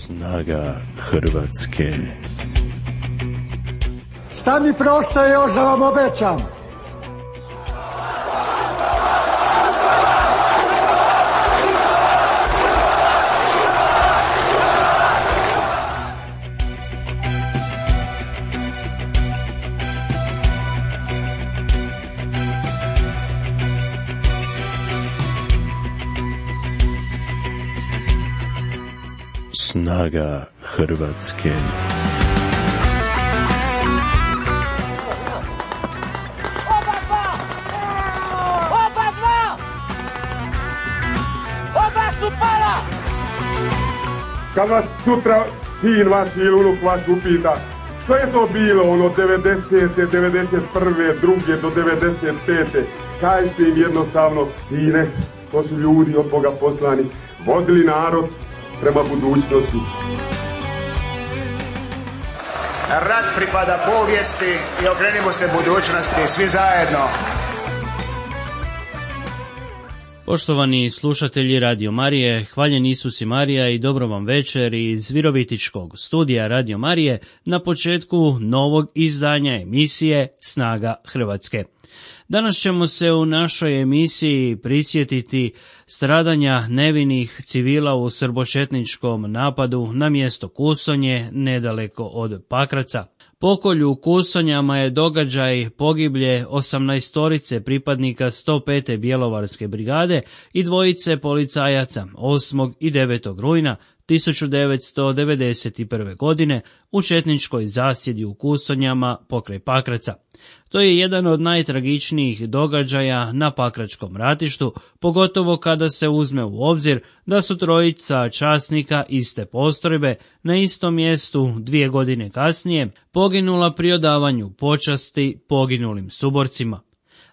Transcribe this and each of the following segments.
Snaga Hrvatske. Šta mi preostaje još da vam obećam? Snaga Hrvatske. Oba su pala! Kad vas sutra sin vaš ili unuk vaš upita što je to bilo ono 90. 91. 2. do 95. Kažite im jednostavno, sine, to su ljudi od Boga poslani, vodili narod prema budućnosti. Rat pripada povijesti i okrenimo se budućnosti, svi zajedno. Poštovani slušatelji Radio Marije, hvaljen Isus i Marija i dobro vam večer iz Virovitičkog studija Radio Marije na početku novog izdanja emisije Snaga Hrvatske. Danas ćemo se u našoj emisiji prisjetiti stradanja nevinih civila u srbočetničkom napadu na mjesto Kusonje, nedaleko od Pakraca. Pokolj u Kusonjama je događaj pogiblje 18 pripadnika 105. Bjelovarske brigade i dvojice policajaca 8. i 9. rujna 1991. godine u četničkoj zasjedi u Kusonjama pokraj Pakraca. To je jedan od najtragičnijih događaja na Pakračkom ratištu, pogotovo kada se uzme u obzir da su trojica časnika iste postrojbe na istom mjestu 2 godine kasnije poginula pri odavanju počasti poginulim suborcima.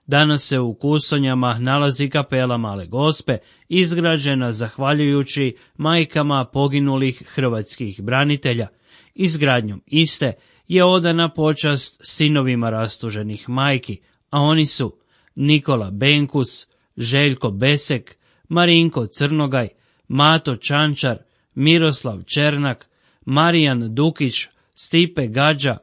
Danas se u Kusonjama nalazi kapela Male Gospe, izgrađena zahvaljujući majkama poginulih hrvatskih branitelja. Izgradnjom iste je odana počast sinovima rastuženih majki, a oni su Nikola Benkus, Željko Besek, Marinko Crnogaj, Mato Čančar, Miroslav Černak, Marijan Dukić, Stipe Gađa,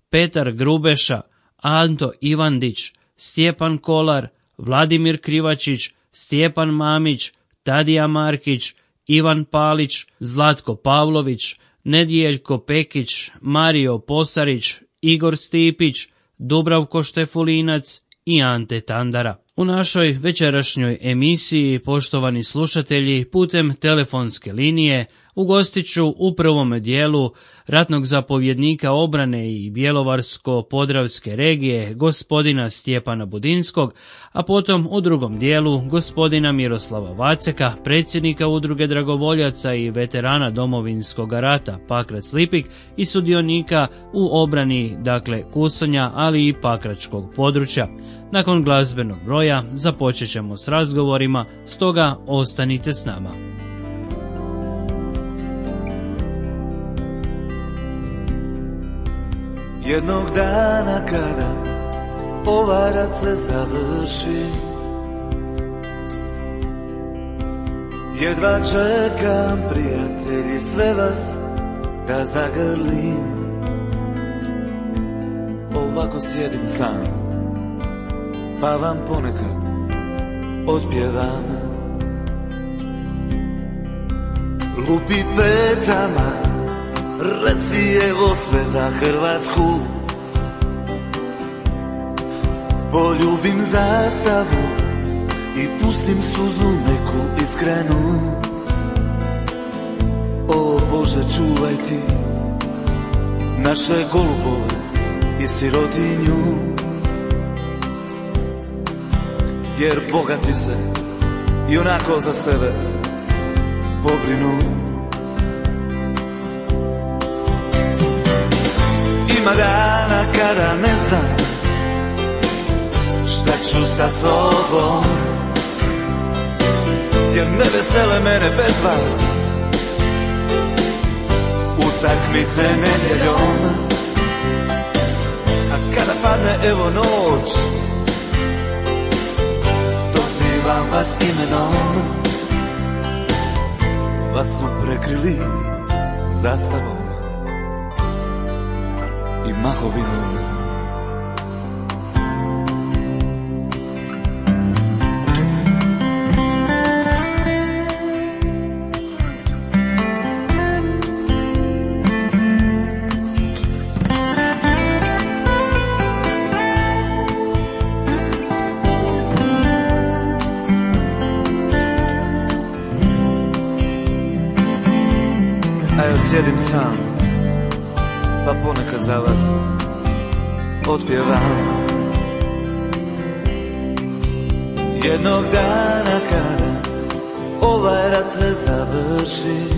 Petar Grubeša, Anto Ivandić, Stjepan Kolar, Vladimir Krivačić, Stjepan Mamić, Tadija Markić, Ivan Palić, Zlatko Pavlović, Nedijeljko Pekić, Mario Posarić, Igor Stipić, Dubravko Štefulinac i Ante Tandara. U našoj večerašnjoj emisiji, poštovani slušatelji, putem telefonske linije ugostit ću u prvom dijelu ratnog zapovjednika obrane i Bjelovarsko-podravske regije, gospodina Stjepana Budinskog, a potom u drugom dijelu gospodina Miroslava Vaceka, predsjednika udruge dragovoljaca i veterana Domovinskog rata Pakrac-Lipik i sudionika u obrani, Kusonja, ali i Pakračkog područja. Nakon glazbenog broja započet ćemo s razgovorima, stoga ostanite s nama. Jednog dana kada ovaj rat se završi, jedva čekam, prijatelji, sve vas da zagrlim. Ovako sjedim sam, pa vam ponekad otpjevam. Lupi petama, reci evo sve za Hrvatsku. Poljubim zastavu i pustim suzu neku iskrenu. O Bože, čuvaj ti naše golubove i sirotinju, jer bogati se i onako za sebe pobrinu. Ima dana kada ne znam šta ću sa sobom, jer ne vesele mene bez vas utakmice nedjeljom. A kada padne evo noć, dozivam vas imenom. Vas su prekrili zastavom i mahovinom. A ja sjedim sam, pa ponekad za vas otpjevam. Jednog dana kada ovaj rat se završi,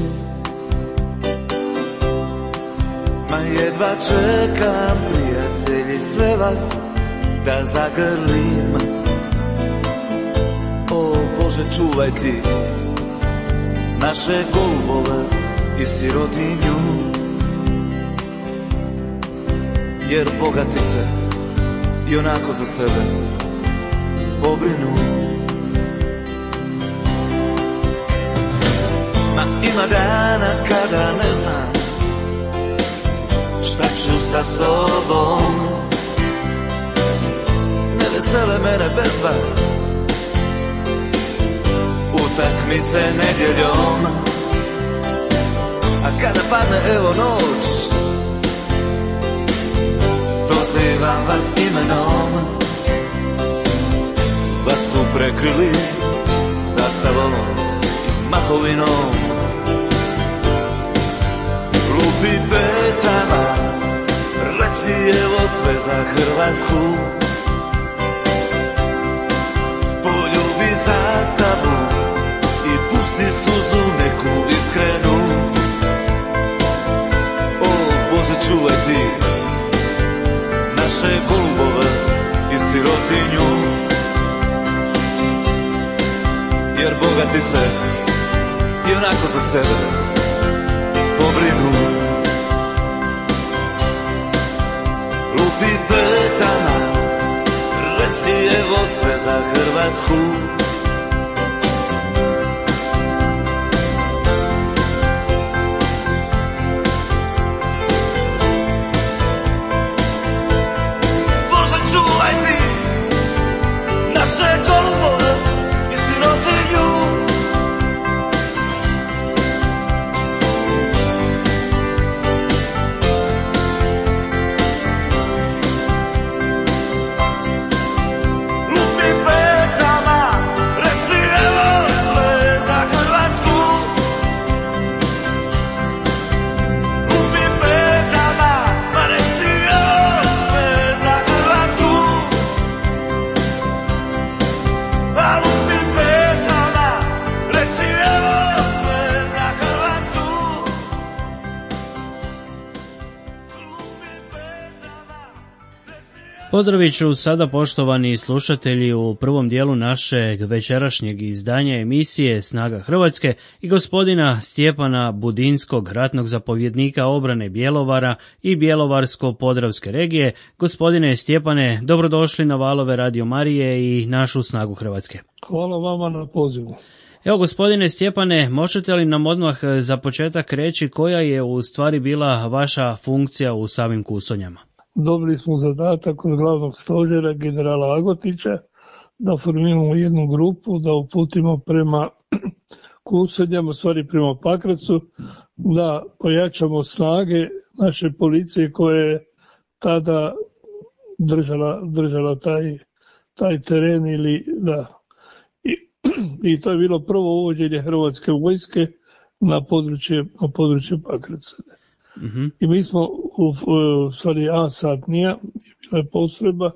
ma jedva čekam, prijatelji, sve vas da zagrlim. O Bože, čuvaj ti naše golubove i sirotinju, jer bogati se i onako za sebe pobrinu. Ma ima dana kada ne znam šta ću sa sobom, ne vesele mene bez vas utakmice nedjeljom. A kada padne evo noć, dozivam vas imenom, vas su prekrili zastavom i mahovinom. Lupi petama, reci evo sve za Hrvatsku, poljubi zastavu i pusti suzu neku iskrenu. Čuvaj ti naše golubove i sirotinju, jer bogati se i onako za sebe pobrinu. Lupi petama, reci evo sve za Hrvatsku, Pozdravit ću sada, poštovani slušatelji, u prvom dijelu našeg večerašnjeg izdanja emisije Snaga Hrvatske i gospodina Stjepana Budinskog, ratnog zapovjednika obrane Bjelovara i Bjelovarsko-podravske regije. Gospodine Stjepane, dobrodošli na valove Radio Marije i našu Snagu Hrvatske. Hvala vama na pozivu. Evo, gospodine Stjepane, možete li nam odmah za početak reći koja je u stvari bila vaša funkcija u samim Kusonjama? Dobili smo zadatak od glavnog stožera generala Agotića da formiramo jednu grupu, da uputimo prema Kusonjama, stvari prema Pakracu, da pojačamo snage naše policije koje je tada držala taj teren ili da. I to je bilo prvo uvođenje Hrvatske vojske na područje Pakraca. Mm-hmm. I mi smo u stvari A-satnija, bila je postrojba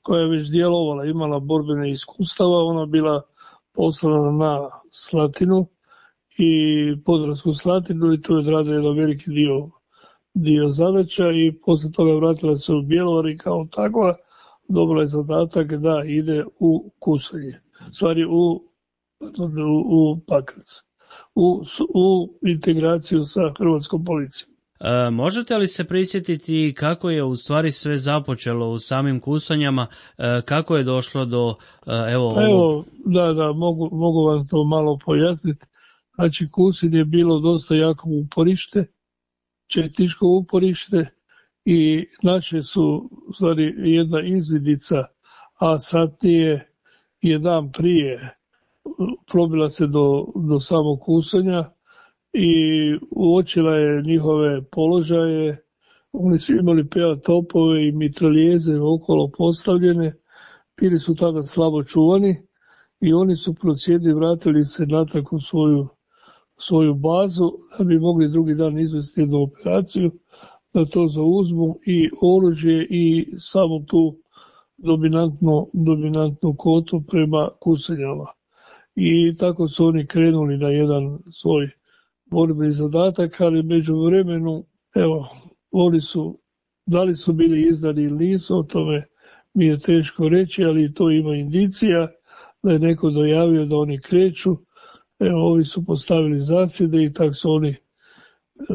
koja je već djelovala, imala borbene iskustava, ona bila poslana na Slatinu i Podravsku Slatinu i tu je odradila jedan veliki dio zadaća i poslije toga vratila se u Bjelovar i kao takva dobila je zadatak da ide u Kusonje, stvari u Pakrac, u integraciju sa Hrvatskom policijom. Možete li se prisjetiti kako je u stvari sve započelo u samim Kusonjama, kako je došlo do Da, mogu vam to malo pojasniti. Znači, Kusin je bilo dosta jako uporište četničko uporište i naše su u stvari jedna izvidica, a satnije je dan prije probila se do samog Kusonja i uočila je njihove položaje. Oni su imali PA topove i mitraljeze okolo postavljene, bili su tada slabo čuvani i oni su procijenili, vratili se natrag u svoju bazu da bi mogli drugi dan izvesti jednu operaciju, da to zauzmu i oružje i samo tu dominantnu kotu prema Kusonjama. I tako su oni krenuli na jedan svoj borbeni zadatak, ali među vremenu, evo, oni su, da li su bili izdani ili nisu, o tome mi je teško reći, ali to ima indicija da je neko dojavio da oni kreću. Evo, ovi su postavili zasjede i tako su oni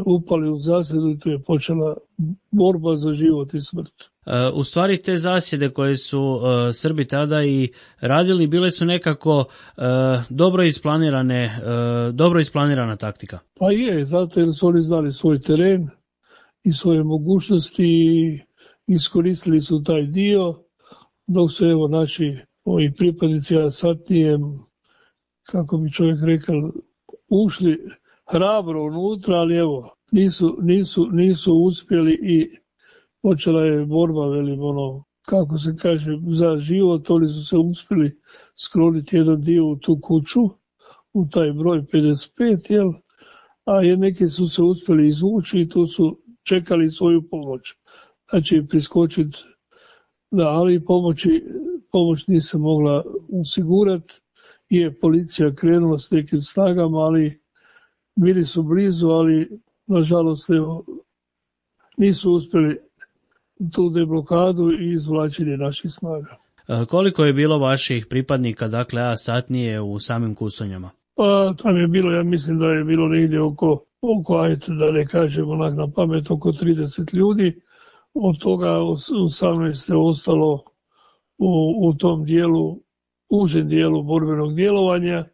upali u zasjedu i tu je počela borba za život i smrt. U stvari te zasjede koje su Srbi tada i radili bile su nekako dobro isplanirana taktika. Pa je, zato jer su oni znali svoj teren i svoje mogućnosti i iskoristili su taj dio, dok su evo naši ovi pripadnici satnije, kako bi čovjek rekao, ušli hrabro unutra, ali evo, nisu uspjeli i počela je borba, velim, kako se kaže, za život. Oni su se uspjeli skloniti jedan dio u tu kuću, u taj broj 55, jel? A neki su se uspjeli izvući i tu su čekali svoju pomoć. Znači, priskočiti, da, ali pomoć nije se mogla osigurati. Je policija krenula s nekim snagama, ali bili su blizu, ali nažalost nisu uspjeli tu deblokadu i izvlačenje naših snaga. Koliko je bilo vaših pripadnika, dakle, A satnije u samim Kusonjama? Pa tam je bilo, ja mislim da je bilo negdje oko ajde da ne kažem onak na pamet, oko 30 ljudi. Od toga 18 je ostalo u tom dijelu, užem dijelu borbenog djelovanja.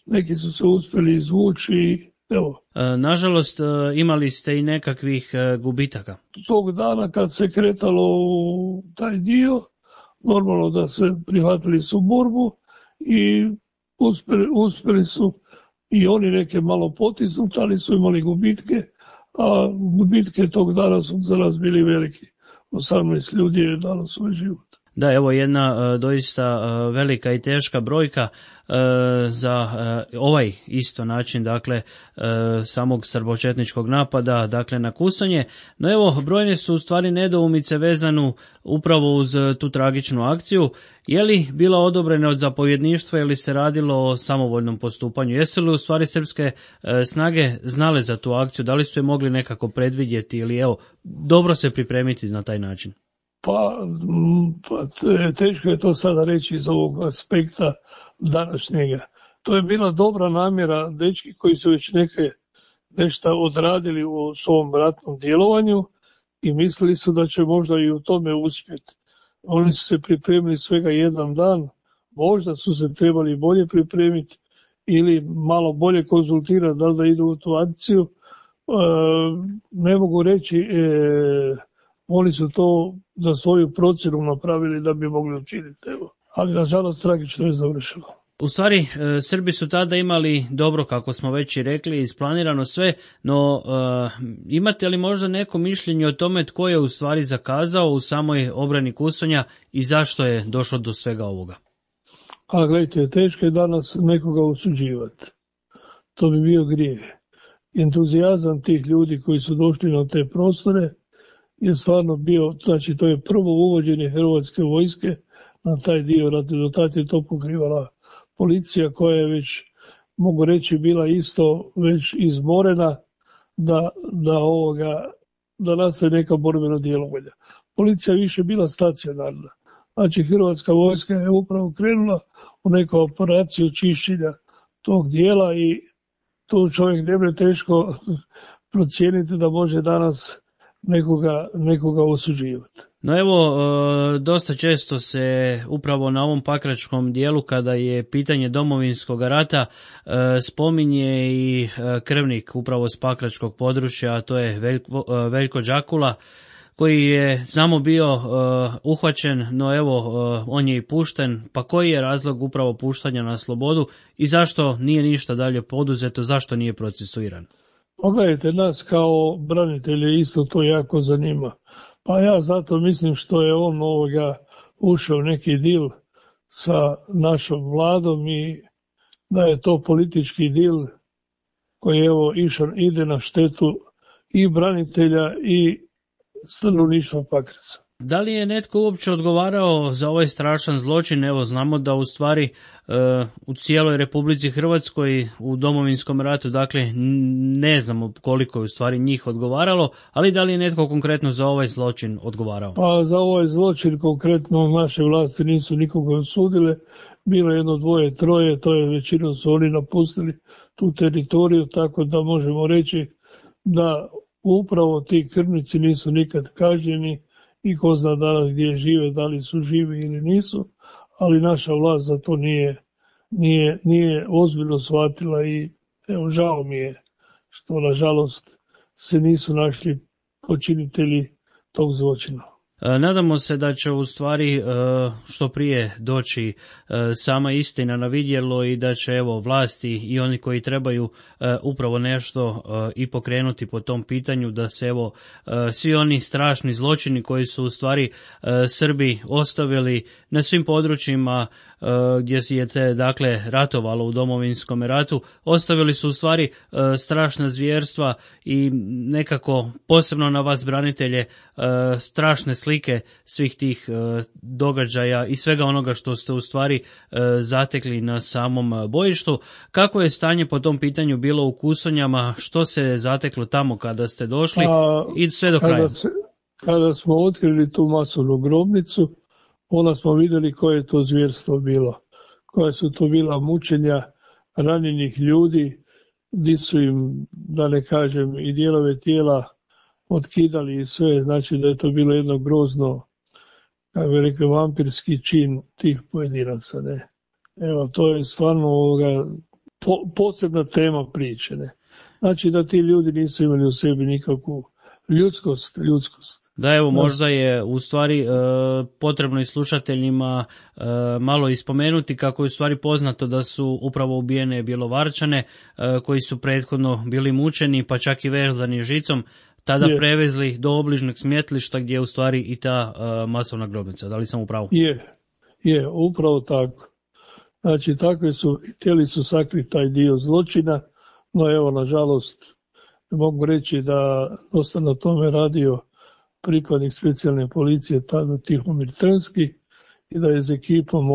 Neki su se uspjeli izvući. Evo. Nažalost, imali ste i nekakvih gubitaka. Tog dana kad se kretalo u taj dio, normalno da se prihvatili su borbu i uspjeli su i oni neke malo potisnuti, ali su imali gubitke, a gubitke tog dana su za nas bili veliki. 18 ljudi je dalo svoj život. Da, evo jedna doista velika i teška brojka za ovaj isto način, dakle, samog srbočetničkog napada, dakle, na Kusonje. No evo, brojne su u stvari nedoumice vezanu upravo uz tu tragičnu akciju. Je li bila odobrena od zapovjedništva ili se radilo o samovoljnom postupanju? Jesu li u stvari srpske snage znale za tu akciju? Da li su je mogli nekako predvidjeti ili evo, dobro se pripremiti na taj način? Pa teško je to sada reći iz ovog aspekta današnjega. To je bila dobra namjera dečki koji su već nešto odradili u svom ratnom djelovanju i mislili su da će možda i u tome uspjeti. Oni su se pripremili svega jedan dan, možda su se trebali bolje pripremiti ili malo bolje konzultirati da li da idu u tu akciju. Ne mogu reći, oni su to za svoju procjenu napravili da bi mogli učiniti. Ali nažalost tragično je završilo. U stvari, Srbi su tada imali dobro, kako smo već i rekli, isplanirano sve, no imate li možda neko mišljenje o tome tko je u stvari zakazao u samoj obrani Kusonja i zašto je došlo do svega ovoga? A gledajte, teško je danas nekoga osuđivati. To bi bio grijeh. Entuzijazam tih ljudi koji su došli na te prostore je stvarno bio, znači to je prvo uvođenje Hrvatske vojske na taj dio, do tada je to pokrivala policija koja je već, mogu reći, bila isto već izmorena da nastaje neka borbena djelovanja. Policija je više bila stacionarna. Znači Hrvatska vojska je upravo krenula u neku operaciju čišćenja tog dijela i tu čovjek ne bi teško procijeniti da može danas nekoga osuđivati. No evo, dosta često se upravo na ovom pakračkom dijelu, kada je pitanje Domovinskog rata, spominje i krvnik upravo s pakračkog područja, a to je Veljko Đakula, koji je, znamo, bio uhvaćen, no evo, on je i pušten. Pa koji je razlog upravo puštanja na slobodu i zašto nije ništa dalje poduzeto, zašto nije procesuiran? Pogledajte, nas kao branitelje isto to jako zanima. Pa ja zato mislim što je on ušao neki dil sa našom vladom i da je to politički dil koji ide na štetu i branitelja i stanovništva Pakraca. Da li je netko uopće odgovarao za ovaj strašan zločin? Evo, znamo da u stvari u cijeloj Republici Hrvatskoj u Domovinskom ratu, dakle, ne znamo koliko je u stvari njih odgovaralo, ali da li je netko konkretno za ovaj zločin odgovarao? Pa za ovaj zločin konkretno naše vlasti nisu nikoga osudile, bilo je 1, 2, 3, to je većinom su oni napustili tu teritoriju, tako da možemo reći da upravo ti krvnici nisu nikad kažnjeni i ko zna danas gdje žive, da li su živi ili nisu, ali naša vlast za to nije ozbiljno shvatila i evo, žao mi je što nažalost se nisu našli počinitelji tog zločina. Nadamo se da će u stvari što prije doći sama istina na vidjelo i da će evo vlasti i oni koji trebaju upravo nešto i pokrenuti po tom pitanju, da se evo svi oni strašni zločini koji su u stvari Srbi ostavili na svim područjima gdje je se dakle ratovalo u Domovinskom ratu, ostavili su u stvari strašna zvjerstva i nekako posebno na vas branitelje strašne slike svih tih događaja i svega onoga što ste u stvari zatekli na samom bojištu. Kako je stanje po tom pitanju bilo u Kusonjama, što se zateklo tamo kada ste došli i sve do kraja? Kada smo otkrili tu masovnu grobnicu, onda smo vidjeli koje je to zvjerstvo bilo, koje su to bila mučenja ranjenih ljudi, gdje su im, da ne kažem, i dijelove tijela otkidali i sve, znači da je to bilo jedno grozno, kako bi rekli, vampirski čin tih pojedinaca. Ne? Evo, to je stvarno posebna tema priče. Ne? Znači da ti ljudi nisu imali u sebi nikakvu ljudskost. Da, evo, možda je u stvari potrebno i slušateljima malo ispomenuti kako je u stvari poznato da su upravo ubijene Bjelovarčane koji su prethodno bili mučeni pa čak i vezani žicom, tada prevezli do obližnjeg smetlišta gdje je u stvari i ta masovna grobnica. Da li sam u pravu? Je, upravo tako. Znači, takvi su, htjeli su sakriti taj dio zločina, no evo, nažalost, mogu reći da dosta na tome radio pripadnik specijalne policije, tada Tihomir Trnski, i da je s ekipom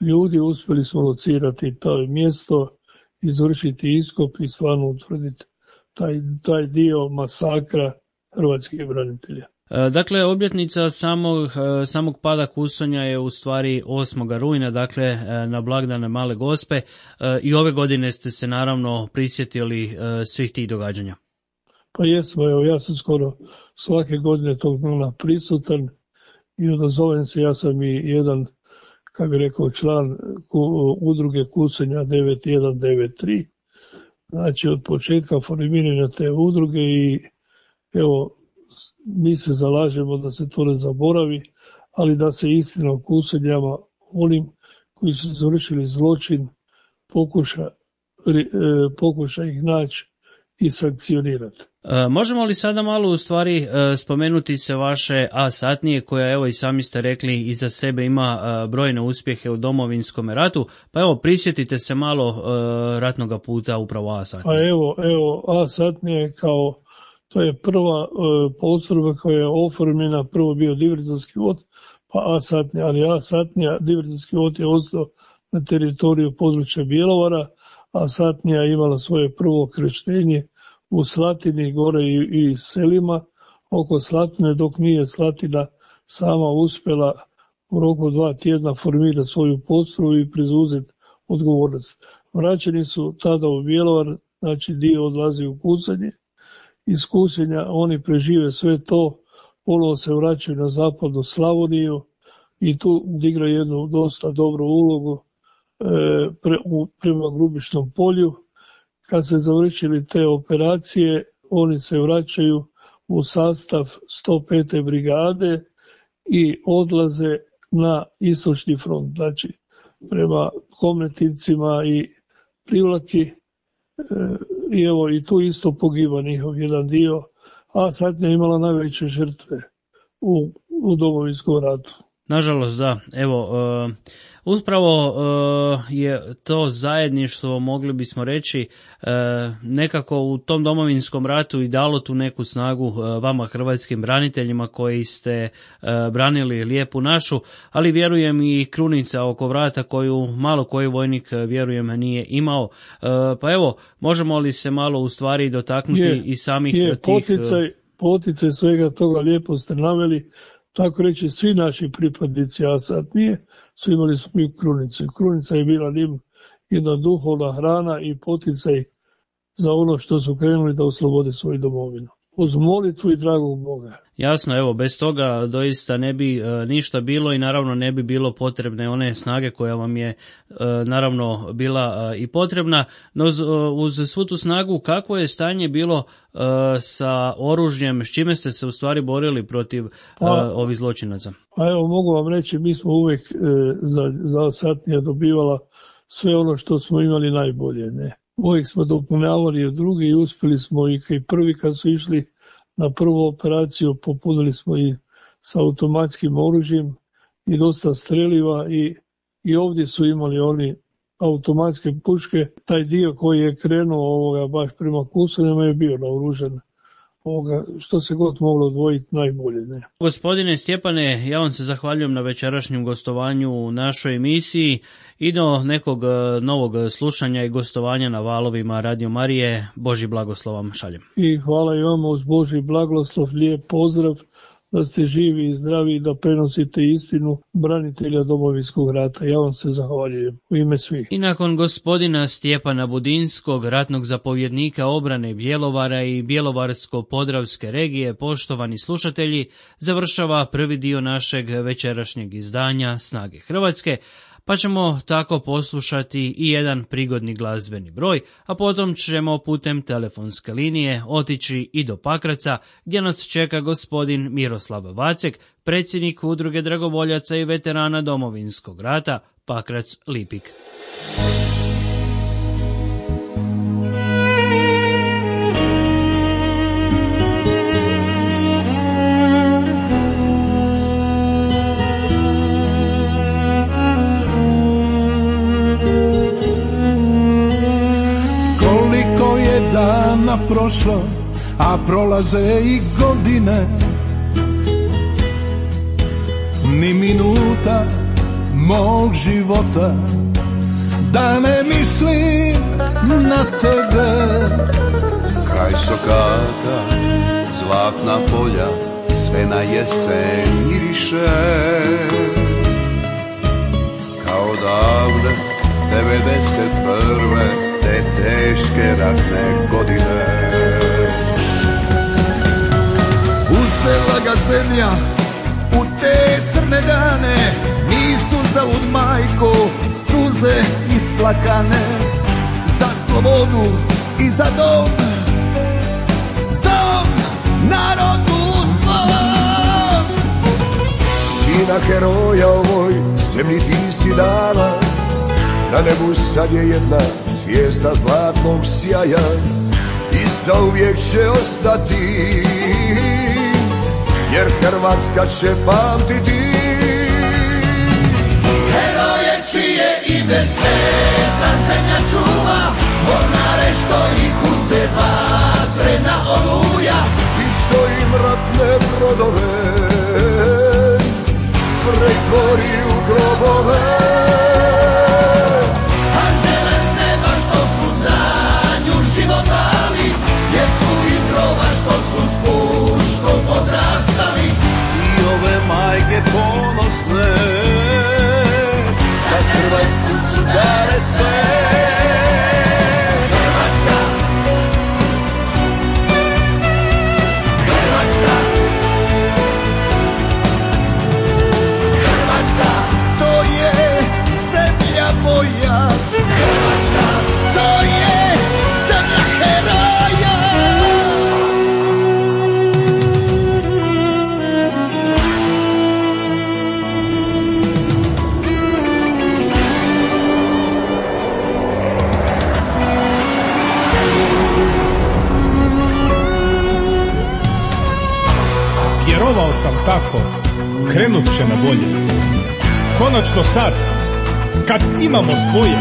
ljudi uspjeli smo locirati to mjesto, izvršiti iskop i stvarno utvrditi taj dio masakra hrvatskih branitelja. Dakle, obljetnica samog pada Kusonja je u stvari 8. rujna, dakle na blagdane Male Gospe, i ove godine ste se naravno prisjetili svih tih događanja. Pa jesmo, evo, ja sam skoro svake godine tog dana prisutan i odazovem se, ja sam i jedan, kako bi rekao, član udruge Kusonja 9193, znači od početka formiranja te udruge i evo, mi se zalažemo da se to ne zaboravi, ali da se istina o Kusonjama, onim koji su završili zločin, pokuša ih naći i sankcionirati. Možemo li sada malo u stvari spomenuti se vaše A satnije koja, evo i sami ste rekli, iza sebe ima brojne uspjehe u Domovinskom ratu, pa evo prisjetite se malo ratnoga puta upravo A satnije. Pa evo A satnije to je prva postrojba koja je oformljena, prvo bio diverzanski vod, pa A satnija, ali A satnija, diverzanski vod je ostao na teritoriju područja Bjelovara, A satnija je imala svoje prvo krštenje u Slatini, gore i selima oko Slatine, dok nije Slatina sama uspjela u roku 2 tjedna formirati svoju postrojbu i preuzeti odgovornost. Vraćeni su tada u Bjelovar, znači dio odlazi u Kusonje. Iz Kusenja oni prežive sve to, ponovo se vraćaju na zapadnu Slavoniju i tu igra jednu dosta dobru ulogu prema Grubišnom polju. Kad se završili te operacije, oni se vraćaju u sastav 105. brigade i odlaze na istočni front, znači prema Komletincima i Privlaki. I evo i tu isto pogiba njihov jedan dio, a Satnija je imala najveće žrtve u Domovinskom ratu. Nažalost, da. Evo, upravo je to zajedništvo, mogli bismo reći, nekako u tom Domovinskom ratu i dalo tu neku snagu vama hrvatskim braniteljima koji ste branili lijepu našu, ali vjerujem i krunica oko vrata koju malo koji vojnik, vjerujem, nije imao. Pa evo, možemo li se malo u stvari dotaknuti i samih tih... Poticaj svega toga, lijepo ste naveli. Tako reći, svi naši pripadnici Satnije su imali svoju krunicu. Krunica je bila njim jedna duhovna hrana i poticaj za ono što su krenuli da oslobode svoju domovinu. Uz molitvu i dragog Boga. Jasno, evo, bez toga doista ne bi ništa bilo i naravno ne bi bilo potrebne one snage koja vam je naravno bila i potrebna. No uz svu tu snagu, kakvo je stanje bilo sa oružjem, s čime ste se u stvari borili protiv ovih zločinaca? A evo, mogu vam reći, mi smo uvijek za Satnija dobivala sve ono što smo imali najbolje, ne. Uvijek smo dopunjavali od drugi i uspjeli smo i prvi kad su išli na prvu operaciju, popunili smo i sa automatskim oružjem i dosta streliva i ovdje su imali oni automatske puške. Taj dio koji je krenuo baš prema Kusonjama je bio naoružan. Što se god moglo odvojiti najbolje. Ne? Gospodine Stjepane, ja vam se zahvaljujem na večerašnjem gostovanju u našoj emisiji i do nekog novog slušanja i gostovanja na valovima Radio Marije. Božji blagoslov vam šaljem. I hvala i vama uz Božji blagoslov, lijep pozdrav, da ste živi i zdravi i da prenosite istinu branitelja Domovinskog rata. Ja vam se zahvaljujem u ime svih. I nakon gospodina Stjepana Budinskog, ratnog zapovjednika obrane Bjelovara i Bjelovarsko-podravske regije, poštovani slušatelji, završava prvi dio našeg večerašnjeg izdanja Snage Hrvatske, pa ćemo tako poslušati i jedan prigodni glazbeni broj, a potom ćemo putem telefonske linije otići i do Pakraca, gdje nas čeka gospodin Miroslav Vacek, predsjednik Udruge dragovoljaca i veterana Domovinskog rata Pakrac Lipik. Prošlo, a prolaze i godine, ni minuta mog života da ne mislim na tebe. Kraj Sokata, zlatna polja, sve na jesen miriše, kao davne 91. te teške ratne godine. Uzela ga zemlja u te crne dane, nisu zaud majko suze isplakane, za slobodu i za dom, dom narodu svom. Sina heroja ovoj zemlji ti si dala, na nebu sad je jedna zvijezda zlatnog sjaja i zauvijek će ostati, jer Hrvatska će pamtiti heroje čije ime sveta zemlja čuva, mornare što ih uze vatrena oluja i što im ratne brodove pretvori u grobove. Majke ponosne za Hrvatsku su dale sve. Hrvatska, Vjerovao sam tako, krenut će na bolje. Konačno sad, kad imamo svoje,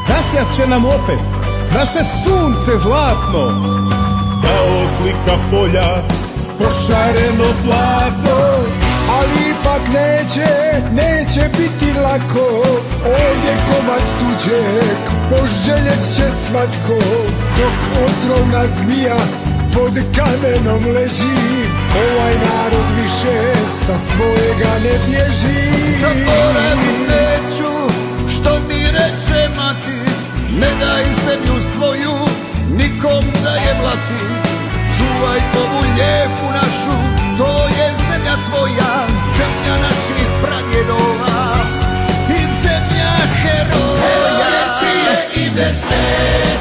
zasjat će nam opet naše sunce zlatno. Kao slika polja, pošareno platno. Ali ipak neće biti lako. Ovdje komad tuđeg poželjet će svatko. Dok otrovna zmija pod kamenom leži, ovaj narod više sa svojega ne bježi. Zaboravit neću što mi reče mati, ne daj zemlju svoju nikom da je blati. Čuvaj ovu lijepu našu, to je zemlja tvoja, zemlja naših pradjedova i zemlja heroja. Čije ime se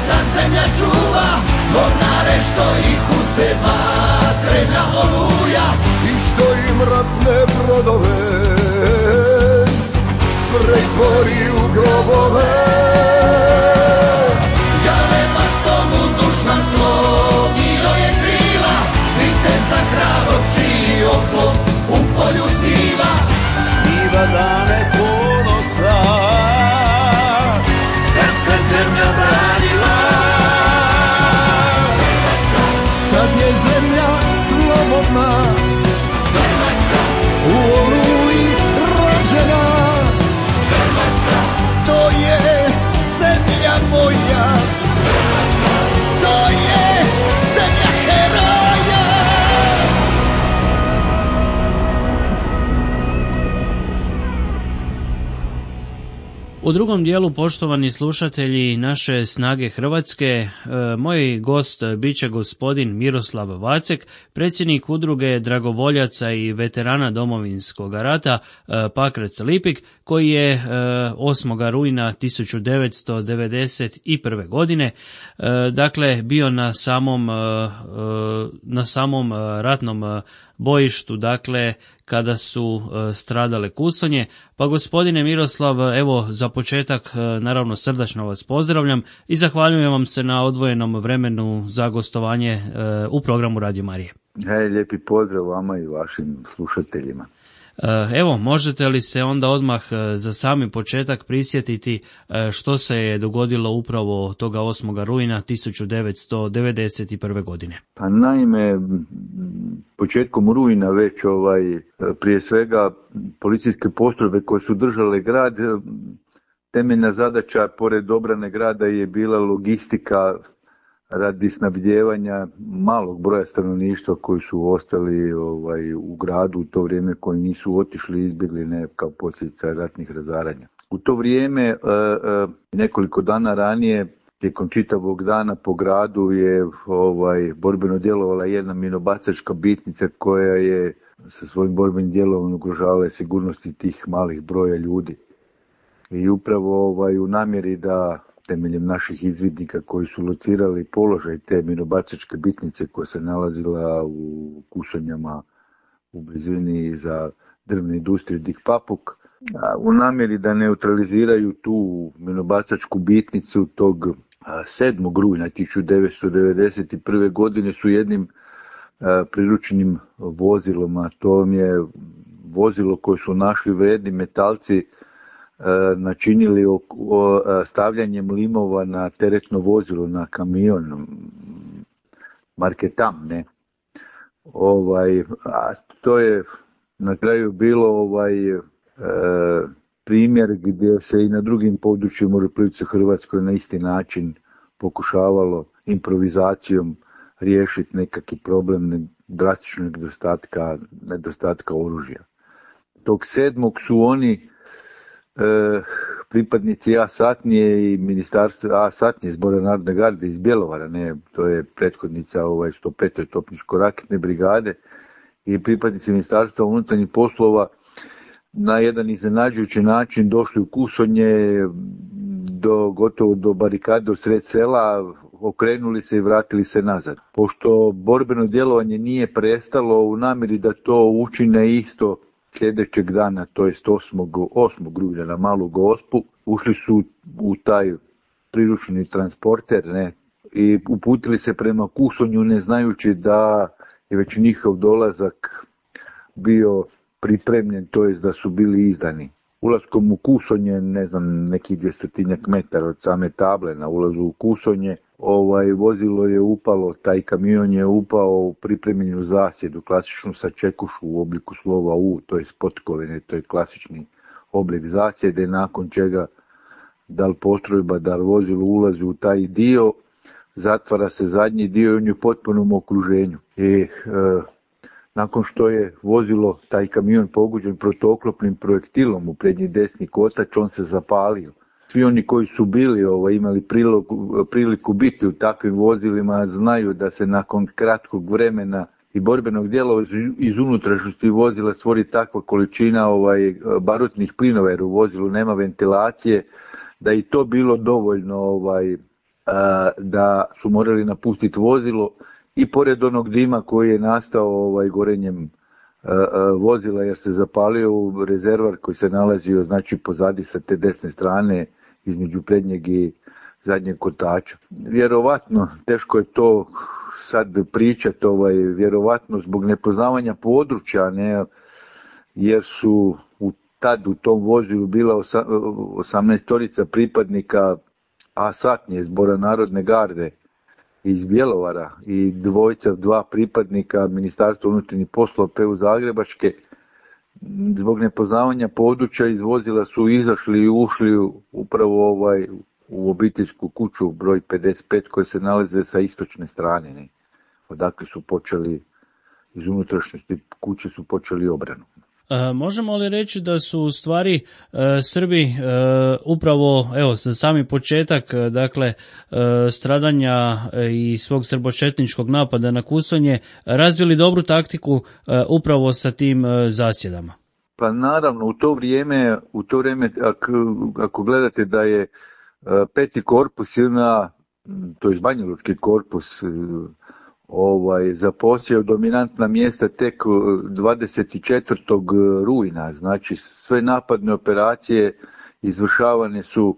ta zemlja čuva, mornare što ih uze vatrena oluja i što im ratne brodove pretvori u grobove. Galeba što mu dušman slomio je krila, viteza hrabrog čiji oklop u polju sniva. Sniva dane ponosa, kad se zemlja branila. Sad je zemlja slobodna, Hrvatska u Oluji rođena. Hrvatska, to je zemlja moja. Hrvatska, to je zemlja heroja. U drugom dijelu, poštovani slušatelji naše Snage Hrvatske, moj gost bit će gospodin Miroslav Vacek, predsjednik udruge dragovoljaca i veterana Domovinskog rata Pakrac-Lipik, koji je 8. rujna 1991. godine dakle bio na samom ratnom bojištu, dakle kada su stradale Kusonje. Pa gospodine Miroslav, evo za početak naravno srdačno vas pozdravljam i zahvaljujem vam se na odvojenom vremenu za gostovanje u programu Radio Marije. Lijepi pozdrav vama i vašim slušateljima. Evo, možete li se onda odmah za sami početak prisjetiti što se je dogodilo upravo toga 8. rujna 1991. godine? Pa naime, početkom rujna već prije svega policijske postrojbe koje su držale grad, temeljna zadaća pored obrane grada je bila logistika radi snabdijevanja malog broja stanovništva koji su ostali u gradu u to vrijeme, koji nisu otišli, izbjegli kao posljedica ratnih razaranja. U to vrijeme, nekoliko dana ranije, tijekom čitavog dana po gradu je borbeno djelovala jedna minobacačka bitnica koja je sa svojim borbenim djelovanjem ugrožavala sigurnosti tih malih broja ljudi. I upravo u namjeri da temeljem naših izvidnika koji su locirali položaj te minobacačke bitnice koja se nalazila u Kusonjama u blizini za drvne industrije Dik Papuk, u namjeri da neutraliziraju tu minobacačku bitnicu tog 7. rujna 1991. godine su jednim priručnim vozilom, a to je vozilo koje su našli vredni metalci načinili stavljanjem limova na teretno vozilo, na kamion marke Tam, ne? To je na kraju bilo primjer gdje se i na drugim područjima u Republici Hrvatskoj na isti način pokušavalo improvizacijom riješiti nekakvi problem drastičnog nedostatka oružja. Tog 7. su oni pripadnici A-satnije i ministarstva A-satnije Zbora narodne garde iz Bjelovara, ne, to je prethodnica 105. topničko-raketne brigade, i pripadnici ministarstva unutarnjih poslova na jedan iznenađujući način došli u Kusonje gotovo do barikade u sred sela, okrenuli se i vratili se nazad. Pošto borbeno djelovanje nije prestalo, u namjeri da to učine isto sljedećeg dana, to jest 8. rujna na Malu Gospu, ušli su u taj priručni transporter, ne, i uputili se prema Kusonju ne znajući da je već njihov dolazak bio pripremljen, to jest da su bili izdani. Ulaskom u Kusonje, ne znam, nekih 200 metara od same table na ulazu u Kusonje, vozilo je upalo, taj kamion je upao u pripremljenu zasjedu, klasičnu sačekušu u obliku slova U, to je potkovine, to je klasični oblik zasjede, nakon čega da li postrojba, da li vozilo ulazi u taj dio, zatvara se zadnji dio i on je u potpunom okruženju. Nakon što je vozilo, taj kamion pogođen protuoklopnim projektilom u prednji desni kotač, on se zapalio. Svi oni koji su bili imali priliku biti u takvim vozilima znaju da se nakon kratkog vremena i borbenog dijela iz unutrašnjosti vozila stvori takva količina barutnih plinova, jer u vozilu nema ventilacije, da i to bilo dovoljno da su morali napustiti vozilo, i pored onog dima koji je nastao gorenjem vozila, jer se zapalio u rezervar koji se nalazio znači pozadi sa te desne strane između prednjeg i zadnjeg kotača. Vjerovatno, teško je to sad pričati, vjerovatno zbog nepoznavanja područja, ne, jer su tad u tom vozilu bila 18 pripadnika A-satnije Zbora Narodne garde iz Bjelovara i dva pripadnika Ministarstva unutarnjih poslova PU Zagrebačke. Zbog nepoznavanja područja iz vozila su izašli i ušli upravo u obiteljsku kuću broj 55 koja se nalaze sa istočne strane. Ne? Odakle su počeli, iz unutrašnjosti kuće su počeli obranu. Možemo li reći da su u stvari Srbi upravo, evo, za sami početak, dakle, stradanja i svog srbočetničkog napada na Kusonje, razvili dobru taktiku upravo sa tim zasjedama? Pa naravno, u to vrijeme ako gledate da je peti korpus to je Banjalučki korpus, zaposjeo dominantna mjesta tek 24. rujna, znači sve napadne operacije izvršavane su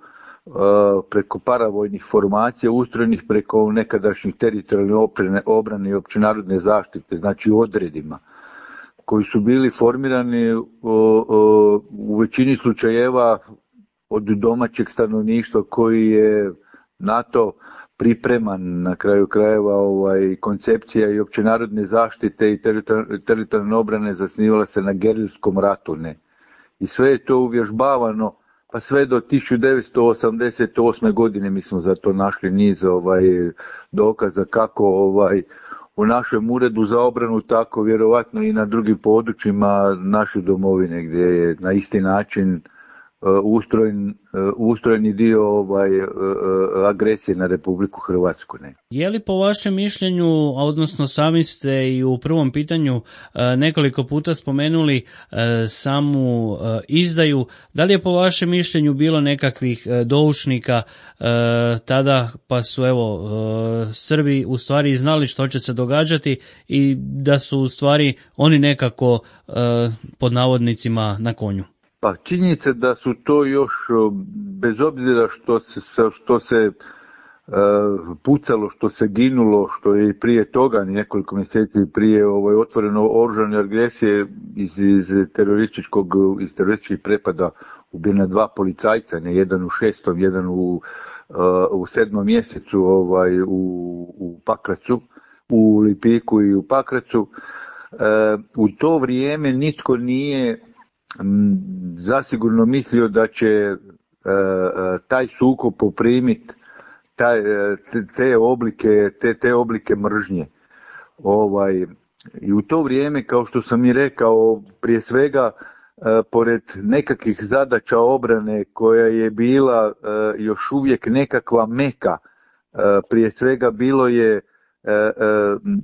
preko paravojnih formacija ustrojenih preko nekadašnjih teritorijalne obrane i općenarodne zaštite, znači odredima, koji su bili formirani u većini slučajeva od domaćeg stanovništva koji je NATO pripreman, na kraju krajeva koncepcija i općenarodne zaštite i teritorijalne obrane zasnivala se na gerilskom ratu. Ne? I sve je to uvježbavano, pa sve do 1988. godine mi smo za to našli niz dokaza kako u našem uredu za obranu, tako vjerovatno i na drugim područjima naše domovine gdje je na isti način ustrojeni dio agresije na Republiku Hrvatsku. Ne. Je li po vašem mišljenju, odnosno sami ste i u prvom pitanju nekoliko puta spomenuli samu izdaju, da li je po vašem mišljenju bilo nekakvih doušnika tada, pa su Srbi u stvari znali što će se događati i da su u stvari oni nekako pod navodnicima na konju? Pa činjenica da su to još, bez obzira što se pucalo, što se ginulo, što je i prije toga, nekoliko mjeseci prije otvoreno oružane agresije iz terorističkih prepada ubijena 2 policajca, ne, jedan u 6., jedan u 7. mjesecu u Pakracu, u Lipiku i u Pakracu. U to vrijeme nitko nije zasigurno mislio da će taj sukob poprimiti te oblike mržnje. I u to vrijeme, kao što sam i rekao, prije svega pored nekakvih zadaća obrane koja je bila još uvijek nekakva meka, prije svega bilo je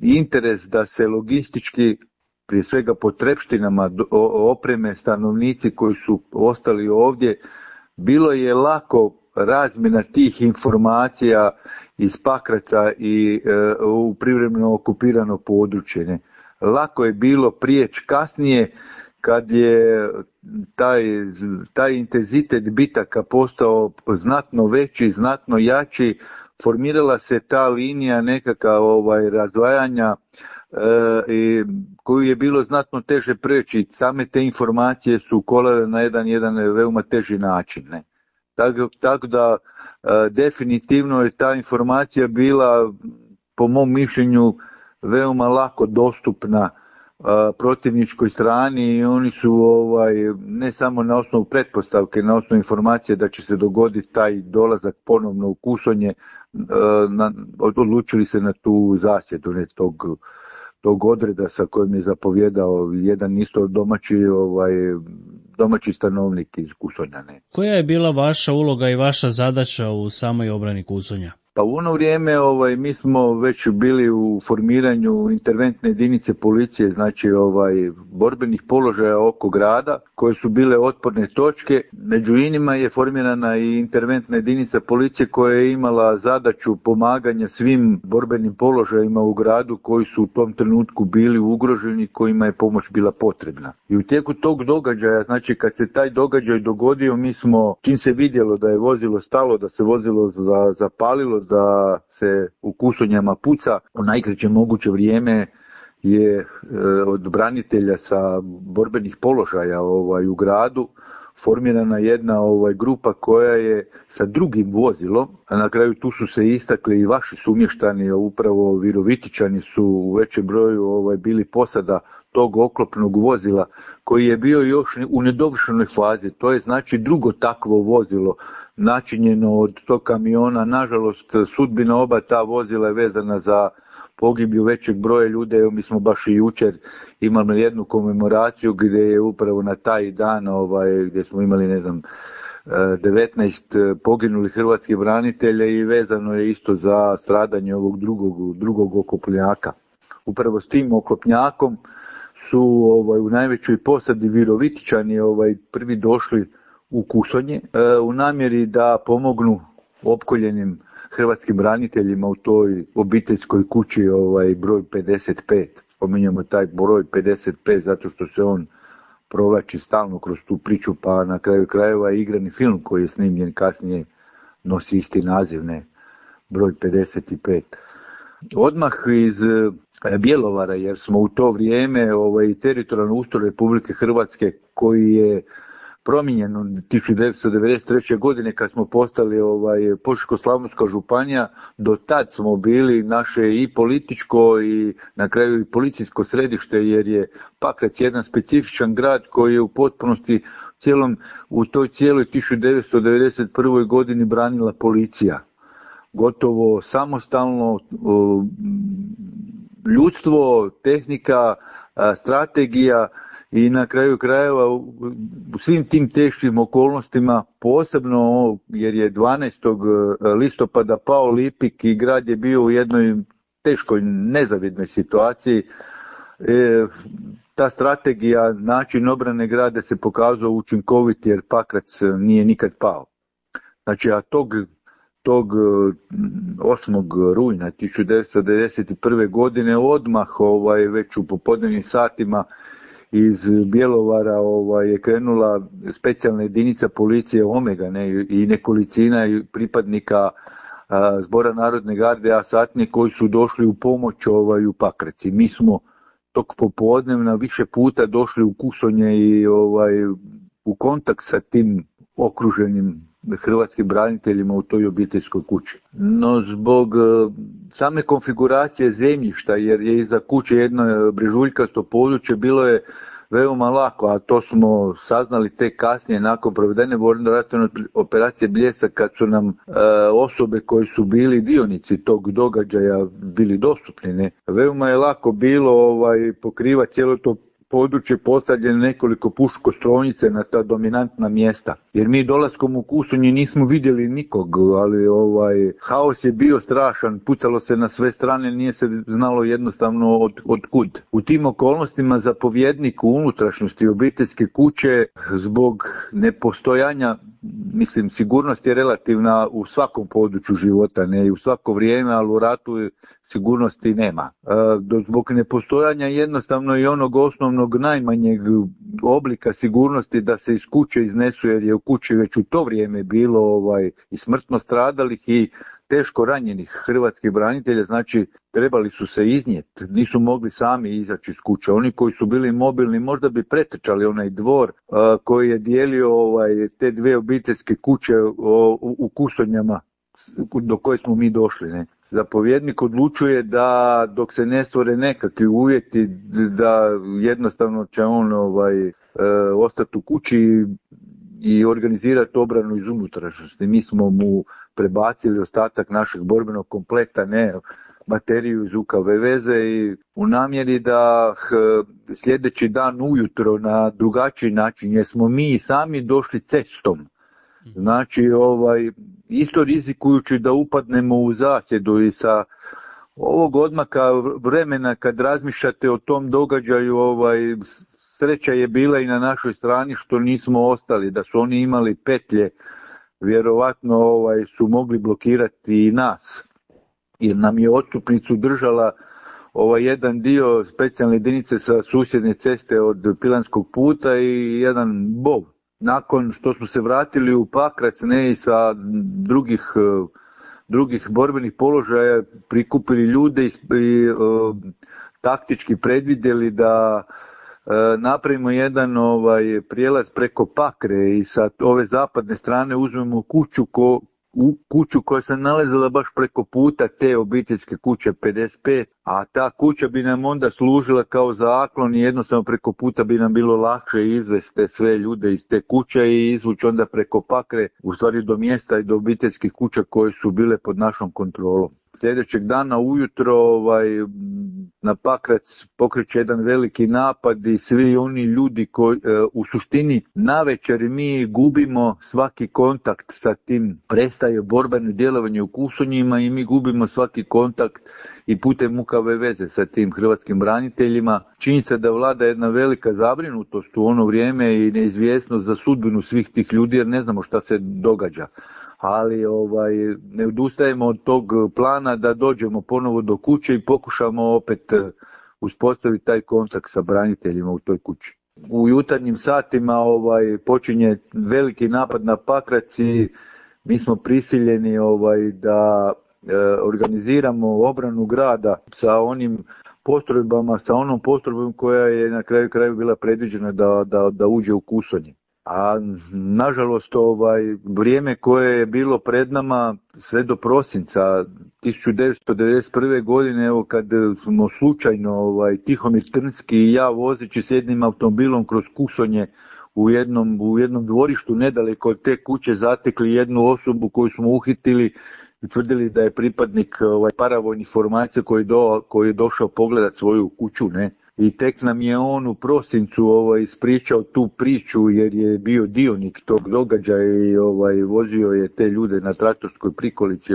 interes da se logistički, prije svega potrepštinama opreme, stanovnici koji su ostali ovdje, bilo je lako razmjena tih informacija iz Pakraca i u privremeno okupirano područje. Ne. Lako je bilo prijeći kasnije, kad je taj intenzitet bitaka postao znatno veći, znatno jači, formirala se ta linija nekakva razdvajanja i koju je bilo znatno teže preći. Same te informacije su kolale na jedan veoma teži način. Ne? Tako da definitivno je ta informacija bila, po mom mišljenju, veoma lako dostupna protivničkoj strani i oni su ne samo na osnovu pretpostavke, na osnovu informacije da će se dogoditi taj dolazak ponovno u Kusonje, odlučili se na tu zasjedu tog odreda sa kojim je zapovjedao jedan isto domaći stanovnik iz Kusonja. Ne. Koja je bila vaša uloga i vaša zadaća u samoj obrani Kusonja? Pa u ono vrijeme mi smo već bili u formiranju interventne jedinice policije, znači borbenih položaja oko grada, koje su bile otporne točke. Među inima je formirana i interventna jedinica policije koja je imala zadaću pomaganja svim borbenim položajima u gradu koji su u tom trenutku bili ugroženi, kojima je pomoć bila potrebna. I u tijeku tog događaja, znači kad se taj događaj dogodio, mi smo, čim se vidjelo da je vozilo stalo, da se vozilo zapalilo, da se u Kusonjama puca, u najkraće moguće vrijeme je od branitelja sa borbenih položaja u gradu formirana jedna grupa koja je sa drugim vozilom, a na kraju tu su se istakli i vaši sumještani, upravo Virovitičani su u većem broju bili posada tog oklopnog vozila koji je bio još u nedovršenoj fazi. To je znači drugo takvo vozilo načinjeno od tog kamiona. Nažalost, sudbina oba ta vozila je vezana za pogibiju većeg broja ljudi. Evo, mi smo baš i jučer imali jednu komemoraciju gdje je upravo na taj dan gdje smo imali 19 poginulih hrvatskih branitelja i vezano je isto za stradanje ovog drugog oklopnjaka. Upravo s tim oklopnjakom su u najvećoj posadi Virovitičani prvi došli u Kusonje u namjeri da pomognu opkoljenim hrvatskim braniteljima u toj obiteljskoj kući broj 55. Spominjamo taj broj 55 zato što se on provlači stalno kroz tu priču, pa na kraju krajeva igrani film koji je snimljen kasnije nosi isti naziv, ne, broj 55. Odmah iz Bjelovara, jer smo u to vrijeme teritorijalno ustroj Republike Hrvatske koji je promijenjen 1993. godine kad smo postali Požeško-slavonska županija, do tad smo bili naše i političko i na kraju i policijsko središte, jer je Pakrac jedan specifičan grad koji je u potpunosti u toj cijeloj 1991. godini branila policija. Gotovo samostalno, ljudstvo, tehnika, strategija i na kraju krajeva u svim tim teškim okolnostima, posebno jer je 12. listopada pao Lipik i grad je bio u jednoj teškoj nezavidnoj situaciji, ta strategija, način obrane grada se pokazao učinkovit jer Pakrac nije nikad pao. Znači, a tog 8. rujna 1991. godine odmah već u popodnevnim satima iz Bjelovara je krenula specijalna jedinica policije Omega, i nekolicina pripadnika Zbora Narodne garde A satnije koji su došli u pomoć u Pakrac. Mi smo tog popodnevna više puta došli u Kusonje i u kontakt sa tim okruženim hrvatskim braniteljima u toj obiteljskoj kući. No zbog same konfiguracije zemljišta, jer je iza kuće jedno brežuljkasto područje, bilo je veoma lako, a to smo saznali tek kasnije nakon provedene vojno-redarstvene operacije Bljesak, kad su nam osobe koji su bili dionici tog događaja bili dostupni. Ne? Veoma je lako bilo pokrivati cijelo to područje, postavljene nekoliko puškostrojnice na ta dominantna mjesta. Jer mi dolaskom u Kusonje nismo vidjeli nikog, ali haos je bio strašan, pucalo se na sve strane, nije se znalo jednostavno od kud. U tim okolnostima zapovjednik u unutrašnjosti obiteljske kuće zbog nepostojanja, sigurnost je relativna u svakom području života, ne i u svako vrijeme, ali u ratu sigurnosti nema. Zbog nepostojanja jednostavno i onog osnovnog najmanjeg oblika sigurnosti da se iz kuće iznesu, jer je u kući već u to vrijeme bilo i smrtno stradalih i teško ranjenih hrvatskih branitelja, znači trebali su se iznijeti, nisu mogli sami izaći iz kuće. Oni koji su bili mobilni možda bi pretrčali onaj dvor koji je dijelio te dvije obiteljske kuće u Kusonjama do koje smo mi došli. Ne? Zapovjednik odlučuje da dok se ne stvore nekakvi uvjeti da jednostavno će on ostati u kući i organizirati obranu iz unutrašnjosti. Mi smo mu prebacili ostatak našeg borbenog kompleta, ne bateriju iz UKV veze i u namjeri da sljedeći dan ujutro na drugačiji način, jer smo mi sami došli cestom. Znači, isto rizikujući da upadnemo u zasjedu i sa ovog odmaka vremena kad razmišljate o tom događaju, sreća je bila i na našoj strani što nismo ostali, da su oni imali petlje, vjerovatno su mogli blokirati i nas, jer nam je odstupnicu držala jedan dio specijalne jedinice sa susjedne ceste od Pilanskog puta i jedan BOV. Nakon što smo se vratili u Pakrac, ne i sa drugih borbenih položaja, prikupili ljude i taktički predvidjeli da napravimo jedan prijelaz preko Pakre i sa ove zapadne strane uzmemo kuću koja se nalazila baš preko puta te obiteljske kuće 55, a ta kuća bi nam onda služila kao zaklon i jednostavno preko puta bi nam bilo lakše izvesti sve ljude iz te kuće i izvući onda preko Pakre, u stvari do mjesta i do obiteljskih kuća koje su bile pod našom kontrolom. Sljedećeg dana ujutro na Pakrac pokreće jedan veliki napad i svi oni ljudi koji u suštini navečer mi gubimo svaki kontakt sa tim, prestaje borbeno djelovanje u Kusonjima i mi gubimo svaki kontakt i putem UKV veze sa tim hrvatskim braniteljima. Činjenica da vlada jedna velika zabrinutost u ono vrijeme i neizvjesnost za sudbinu svih tih ljudi jer ne znamo šta se događa. Ali ne odustajemo od tog plana da dođemo ponovo do kuće i pokušamo opet uspostaviti taj kontakt sa braniteljima u toj kući. U jutarnjim satima počinje veliki napad na Pakrac i mi smo prisiljeni da organiziramo obranu grada sa onim postrojbama, sa onom postrojbom koja je na kraju bila predviđena da uđe u Kusonje. A nažalost vrijeme koje je bilo pred nama sve do prosinca 1991. godine, evo kad smo slučajno Tihomir Trnski i ja vozeći s jednim automobilom kroz Kusonje u jednom dvorištu nedaleko od te kuće zatekli jednu osobu koju smo uhitili i tvrdili da je pripadnik paravojnih formacija koji je došao pogledat svoju kuću, ne. I tek nam je on u prosincu ispričao tu priču jer je bio dionik tog događaja i vozio je te ljude na traktorskoj prikolici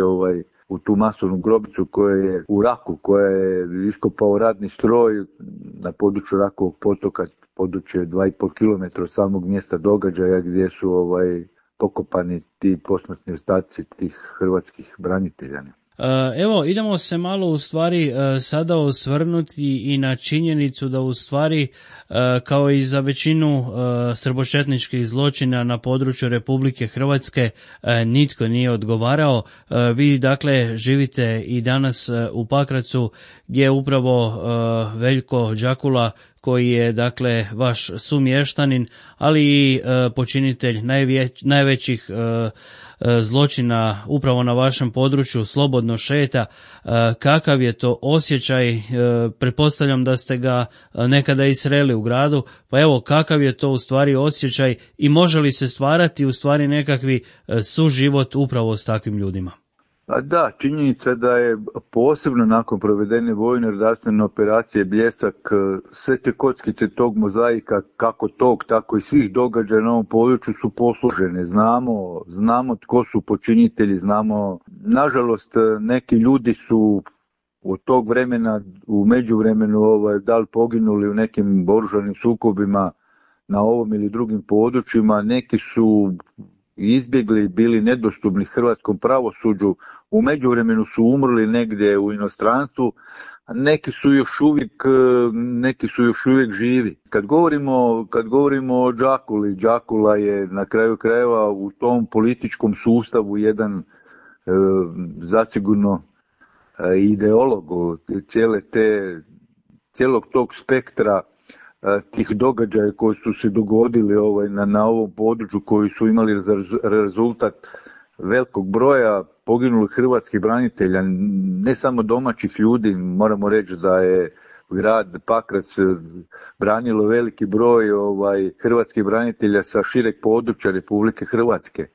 u tu masovnu grobicu koja je u Raku, koja je iskopao radni stroj na području Rakovog potoka, područje 2,5 km od samog mjesta događaja gdje su pokopani ti posmrtni ostaci tih hrvatskih branitelja. Evo, idemo se malo u stvari sada osvrnuti i na činjenicu da u stvari kao i za većinu srbočetničkih zločina na području Republike Hrvatske nitko nije odgovarao. Vi dakle živite i danas u Pakracu gdje upravo Veljko Đakula koji je dakle vaš sumještanin, ali i počinitelj najvećih zločina upravo na vašem području slobodno šeta. Kakav je to osjećaj? Pretpostavljam da ste ga nekada i sreli u gradu, pa evo kakav je to u stvari osjećaj i može li se stvarati u stvari nekakvi suživot upravo s takvim ljudima? A da, činjenica da je posebno nakon provedene vojne redarstvene operacije Bljesak sve te kockice tog mozaika, kako tog, tako i svih događaja na ovom području su posložene. Znamo tko su počinitelji, znamo. Nažalost, neki ljudi su od tog vremena, u međuvremenu, da li poginuli u nekim oružanim sukobima na ovom ili drugim područjima, neki su izbjegli, bili nedostupni hrvatskom pravosuđu, u međuvremenu su umrli negdje u inostranstvu, a neki su još uvijek živi. Kad govorimo o Đakuli, Đakula je na kraju krajeva u tom političkom sustavu jedan zasigurno ideolog cijelog tog spektra tih događaja koji su se dogodili na ovom području, koji su imali za rezultat velikog broja poginulih hrvatskih branitelja, ne samo domaćih ljudi. Moramo reći da je grad Pakrac branilo veliki broj hrvatskih branitelja sa šireg područja Republike Hrvatske.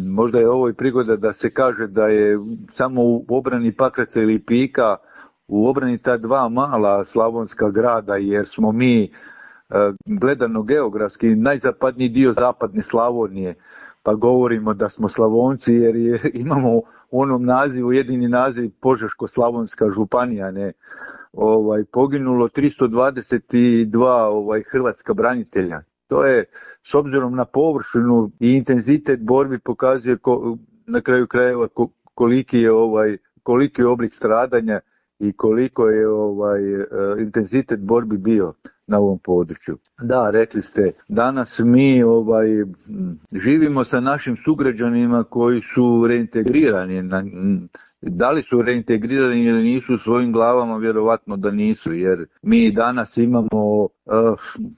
Možda je ovo i prigoda da se kaže da je samo u obrani Pakraca i Lipika, u obrani ta dva mala slavonska grada, jer smo mi gledano geografski najzapadniji dio zapadne Slavonije, pa govorimo da smo Slavonci jer imamo u onom nazivu, jedini naziv Požeško-slavonska županija, ne, poginulo 322 hrvatska branitelja. To je, s obzirom na površinu i intenzitet borbi, pokazuje na kraju krajeva koliki je oblik stradanja i koliko je intenzitet borbi bio na ovom području. Da, rekli ste, danas mi živimo sa našim sugrađanima koji su reintegrirani. Da li su reintegrirani ili nisu u svojim glavama, vjerovatno da nisu, jer mi danas imamo,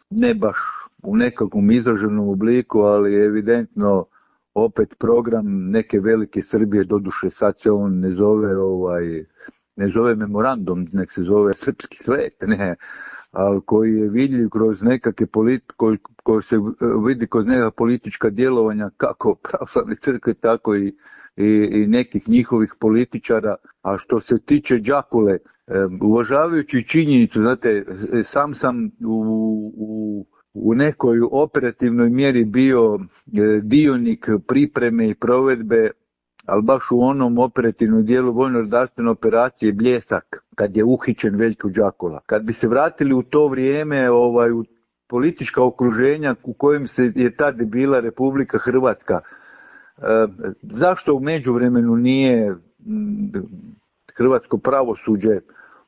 ne baš u nekakvom izraženom obliku, ali evidentno opet program neke velike Srbije, doduše sad se on ne zove memorandum, nek se zove srpski svet, ne, ali koji je vidljiv kroz nekakve koji se vidi kroz neka politička djelovanja kako pravoslavne crkve, tako i nekih njihovih političara. A što se tiče Đakule, uvažavajući činjenicu, znate, sam u nekoj operativnoj mjeri bio dionik pripreme i provedbe, ali baš u onom operativnom dijelu vojno-redarstvene operacije Bljesak, kad je uhićen Veljko Đakula. Kad bi se vratili u to vrijeme, u politička okruženja u kojem je tad bila Republika Hrvatska, zašto u međuvremenu nije hrvatsko pravosuđe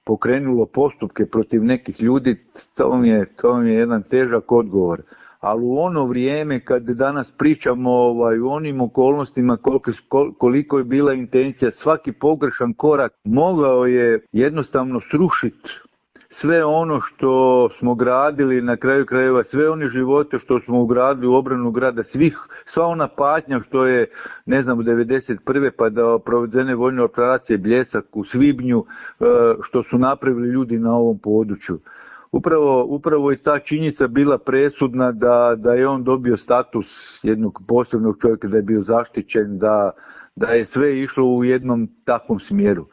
pokrenulo postupke protiv nekih ljudi, to mi je jedan težak odgovor. Ali u ono vrijeme kad danas pričamo u onim okolnostima koliko je bila intencija, svaki pogrešan korak mogao je jednostavno srušiti sve ono što smo gradili, na kraju krajeva sve one živote što smo ugradili u obranu grada, sva ona patnja što je, ne znam, u 1991. pa da provedene vojne operacije Bljesak u svibnju, što su napravili ljudi na ovom području. Upravo je ta činjenica bila presudna da je on dobio status jednog posebnog čovjeka, da je bio zaštićen, da je sve išlo u jednom takvom smjeru.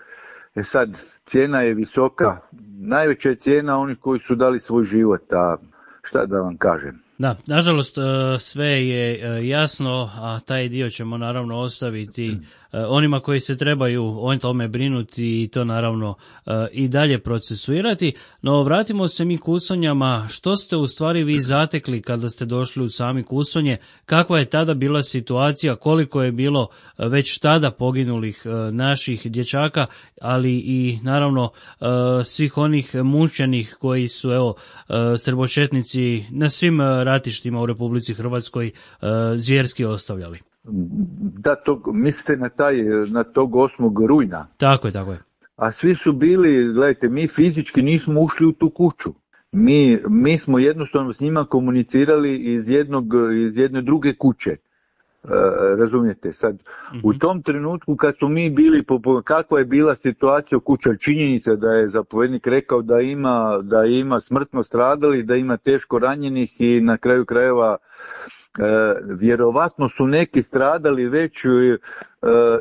Sad, cijena je visoka, najveća je cijena onih koji su dali svoj život, a šta da vam kažem. Da, nažalost sve je jasno, a taj dio ćemo naravno ostaviti onima koji se trebaju o tome brinuti i to naravno i dalje procesuirati. No vratimo se mi Kusonjama. Što ste u stvari vi zatekli kada ste došli u sami Kusonje? Kakva je tada bila situacija? Koliko je bilo već tada poginulih naših dječaka, ali i naravno svih onih mučenih koji su srbočetnici na svim ratištima u Republici Hrvatskoj zvjerski ostavljali? Da, mislite na tog 8. rujna? Tako je. A svi su bili, gledajte, mi fizički nismo ušli u tu kuću. Mi smo jednostavno s njima komunicirali iz jedne druge kuće. Razumijete, sad u tom trenutku kad su mi bili, kakva je bila situacija u kući, činjenica da je zapovjednik rekao da ima smrtno stradali, da ima teško ranjenih i na kraju krajeva vjerovatno su neki stradali već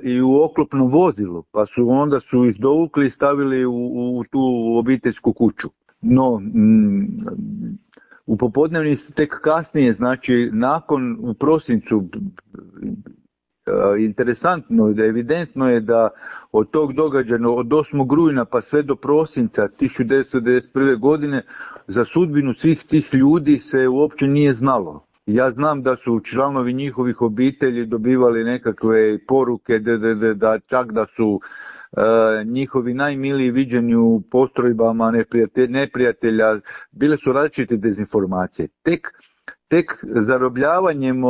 i u oklopnom vozilu, pa onda su ih dovukli i stavili u tu obiteljsku kuću. No, u popodnevni tek kasnije, znači u prosincu, interesantno, evidentno je da od tog događaja, od 8. rujna pa sve do prosinca 1991. godine, za sudbinu svih tih ljudi se uopće nije znalo. Ja znam da su članovi njihovih obitelji dobivali nekakve poruke, čak da su njihovi najmiliji viđeni u postrojbama neprijatelja, bile su različite dezinformacije. Tek zarobljavanjem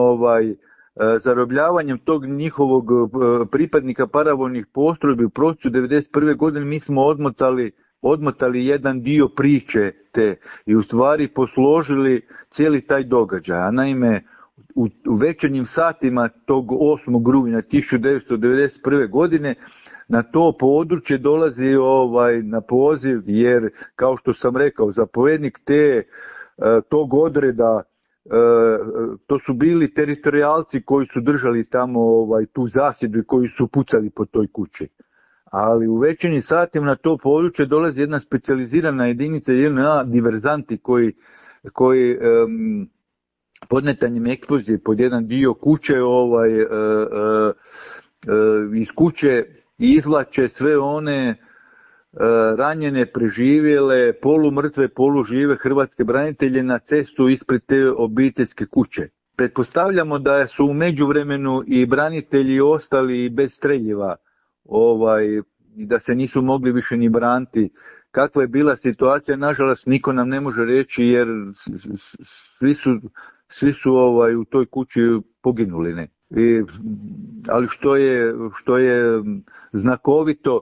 zarobljavanjem tog njihovog pripadnika paravojnih postrojbi u prosincu 1991. godine mi smo odmotali jedan dio priče te i u stvari posložili cijeli taj događaj. A naime, u večernjim satima tog 8. rujna 1991. godine na to područje dolazi na poziv, jer kao što sam rekao, zapovjednik tog odreda, to su bili teritorijalci koji su držali tamo tu zasjedu i koji su pucali po toj kući. Ali u večernjim satima na to područje dolazi jedna specijalizirana jedinica, JNA diverzanti koji podmetanjem eksplozije pod jedan dio kuće iz kuće izvlače sve one ranjene, preživjele, polumrtve, polužive hrvatske branitelje na cestu ispred te obiteljske kuće. Pretpostavljamo da su u međuvremenu i branitelji ostali bez streljiva, i da se nisu mogli više ni braniti. Kakva je bila situacija, nažalost niko nam ne može reći, jer svi su u toj kući poginuli. Ne? Ali što je znakovito,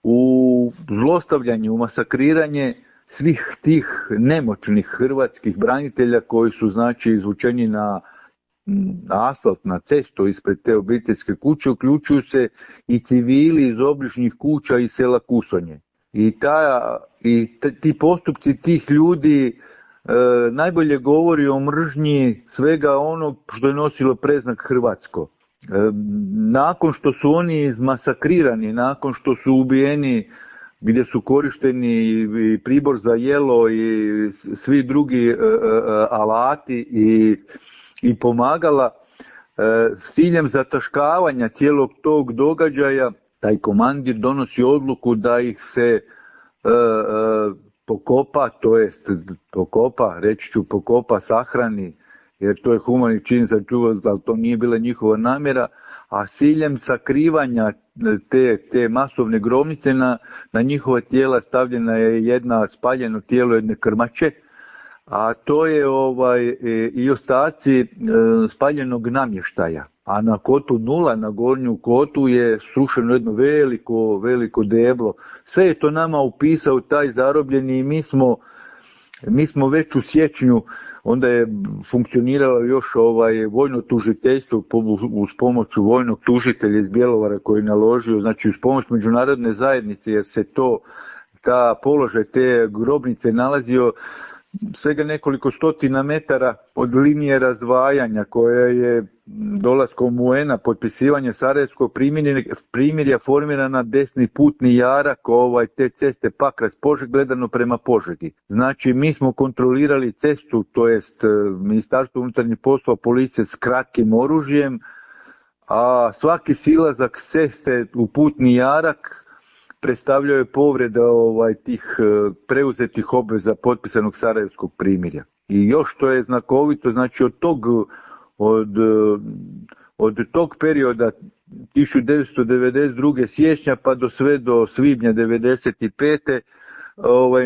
u zlostavljanje, u masakriranje svih tih nemoćnih hrvatskih branitelja koji su znači izvučeni na asfalt, na cestu ispred te obiteljske kuće, uključuju se i civili iz obližnjih kuća i sela Kusonje. Ti postupci tih ljudi najbolje govori o mržnji svega onog što je nosilo predznak hrvatsko. Nakon što su oni izmasakrirani, nakon što su ubijeni, gdje su korišteni i pribor za jelo i svi drugi alati i pomagala, s ciljem zataškavanja cijelog tog događaja, taj komandir donosi odluku da ih se pokopa, sahrani, jer to je humani čin za čuvac, ali to nije bila njihova namjera, a s ciljem sakrivanja te masovne grobnice na njihova tijela stavljena je spaljeno tijelo jedne krmače, a to je i ostaci spaljenog namještaja. A na kotu 0, na gornju kotu je srušeno jedno veliko deblo. Sve je to nama upisao taj zarobljeni i mi smo već u siječnju, onda je funkcioniralo još vojno tužiteljstvo uz pomoć vojnog tužitelja iz Bjelovara koji je naložio, znači uz pomoć međunarodne zajednice, jer se ta položaj te grobnice nalazio svega nekoliko stotina metara od linije razdvajanja koja je dolaskom UN-a, potpisivanje Sarajevskog primirja formirana desni putni jarak te ceste Pakrac-Požeg gledano prema Požegi. Znači mi smo kontrolirali cestu, to jest Ministarstvo unutarnjih poslova, policije s kratkim oružjem, a svaki silazak s ceste u putni jarak predstavljaju povrede tih preuzetih obveza potpisanog Sarajevskog primirja. I još što je znakovito, znači od tog perioda 1992. siječnja pa sve do svibnja 1995.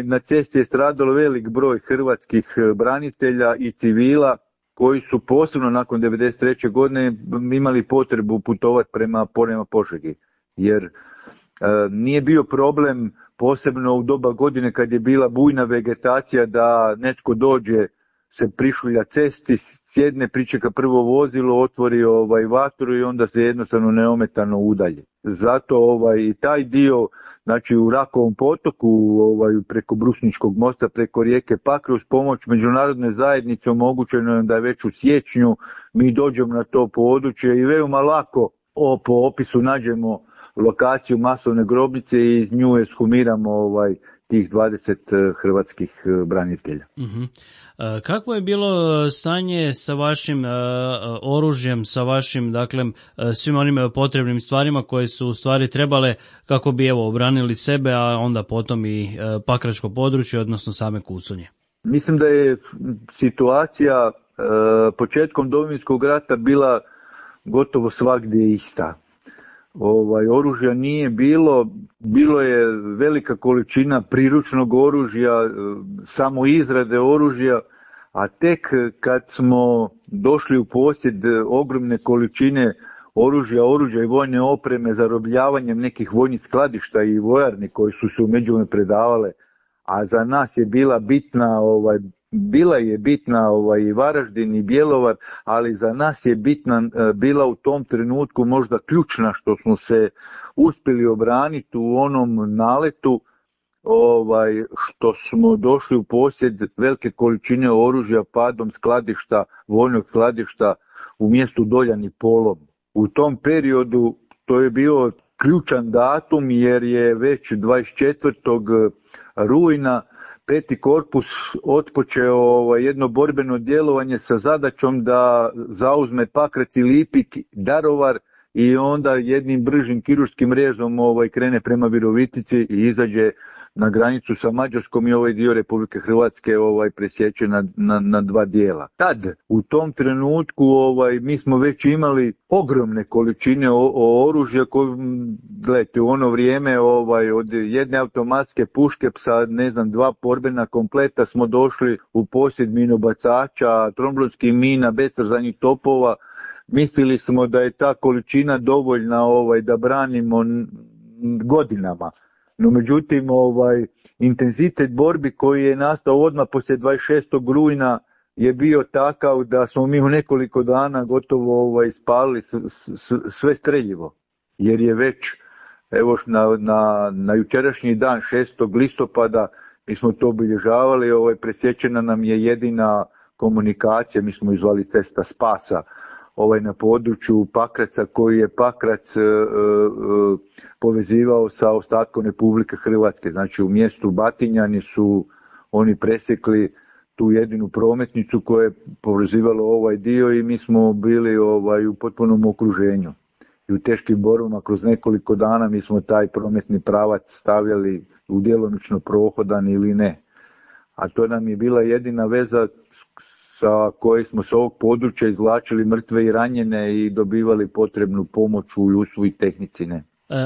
Na cesti je stradalo velik broj hrvatskih branitelja i civila koji su posebno nakon 1993. godine imali potrebu putovati prema Požegi, jer nije bio problem, posebno u doba godine kad je bila bujna vegetacija, da netko dođe, se prišulja cesti, sjedne, pričeka prvo vozilo, otvori vatru i onda se jednostavno neometano udalje. Zato i taj dio, znači u Rakovom potoku, preko Brusničkog mosta, preko rijeke Pakre, uz pomoć međunarodne zajednice omogućeno je da već u siječnju mi dođemo na to područje i veoma lako po opisu nađemo lokaciju masovne grobnice i iz nju eshumiramo tih 20 hrvatskih branitelja. Uh-huh. Kakvo je bilo stanje sa vašim oružjem, sa vašim, dakle, svim onim potrebnim stvarima koje su u stvari trebale kako bi obranili sebe, a onda potom i pakračko područje, odnosno same Kusonje? Mislim da je situacija početkom Domovinskog rata bila gotovo svagdje ista. Oružja nije bilo je velika količina priručnog oružja, samo izrade oružja, a tek kad smo došli u posjed ogromne količine oružja i vojne opreme, zarobljavanjem nekih vojnih skladišta i vojarni koji su se u međuvremenu predavale, a za nas je bila bitna i Varaždin i Bjelovar, ali za nas je bila u tom trenutku možda ključna što smo se uspjeli obraniti u onom naletu, što smo došli u posjed velike količine oružja padom skladišta, vojnog skladišta u mjestu Doljan i Polom. U tom periodu to je bio ključan datum jer je već 24. rujna 5. korpus otpočeo jedno borbeno djelovanje sa zadaćom da zauzme Pakrac i Lipik, Daruvar i onda jednim bržim kirurškim rezom krene prema Virovitici i izađe na granicu sa Mađarskom i ovaj dio Republike Hrvatske presječe na dva dijela. Tad, u tom trenutku, mi smo već imali ogromne količine oružja, gledajte, u ono vrijeme od jedne automatske puške sa, 2 borbena kompleta smo došli u posjed minobacača, tromblonskih mina, besrzanih topova. Mislili smo da je ta količina dovoljna da branimo godinama. No međutim, intenzitet borbi koji je nastao odmah poslije 26. rujna je bio takav da smo mi u nekoliko dana gotovo ispalili sve streljivo. Jer je već, evo na jučerašnji dan, 6. listopada, mi smo to obilježavali, presječena nam je jedina komunikacija, mi smo izvali cesta spasa, na području Pakraca, koji je Pakrac povezivao sa ostatkom Republike Hrvatske. Znači u mjestu Batinjani su oni presjekli tu jedinu prometnicu koja je povezivalo ovaj dio i mi smo bili u potpunom okruženju. I u teškim borbama kroz nekoliko dana mi smo taj prometni pravac stavljali u djelomično prohodan ili ne. A to nam je bila jedina veza sa koje smo s ovog područja izvlačili mrtve i ranjene i dobivali potrebnu pomoć u ljudstvu i tehnici.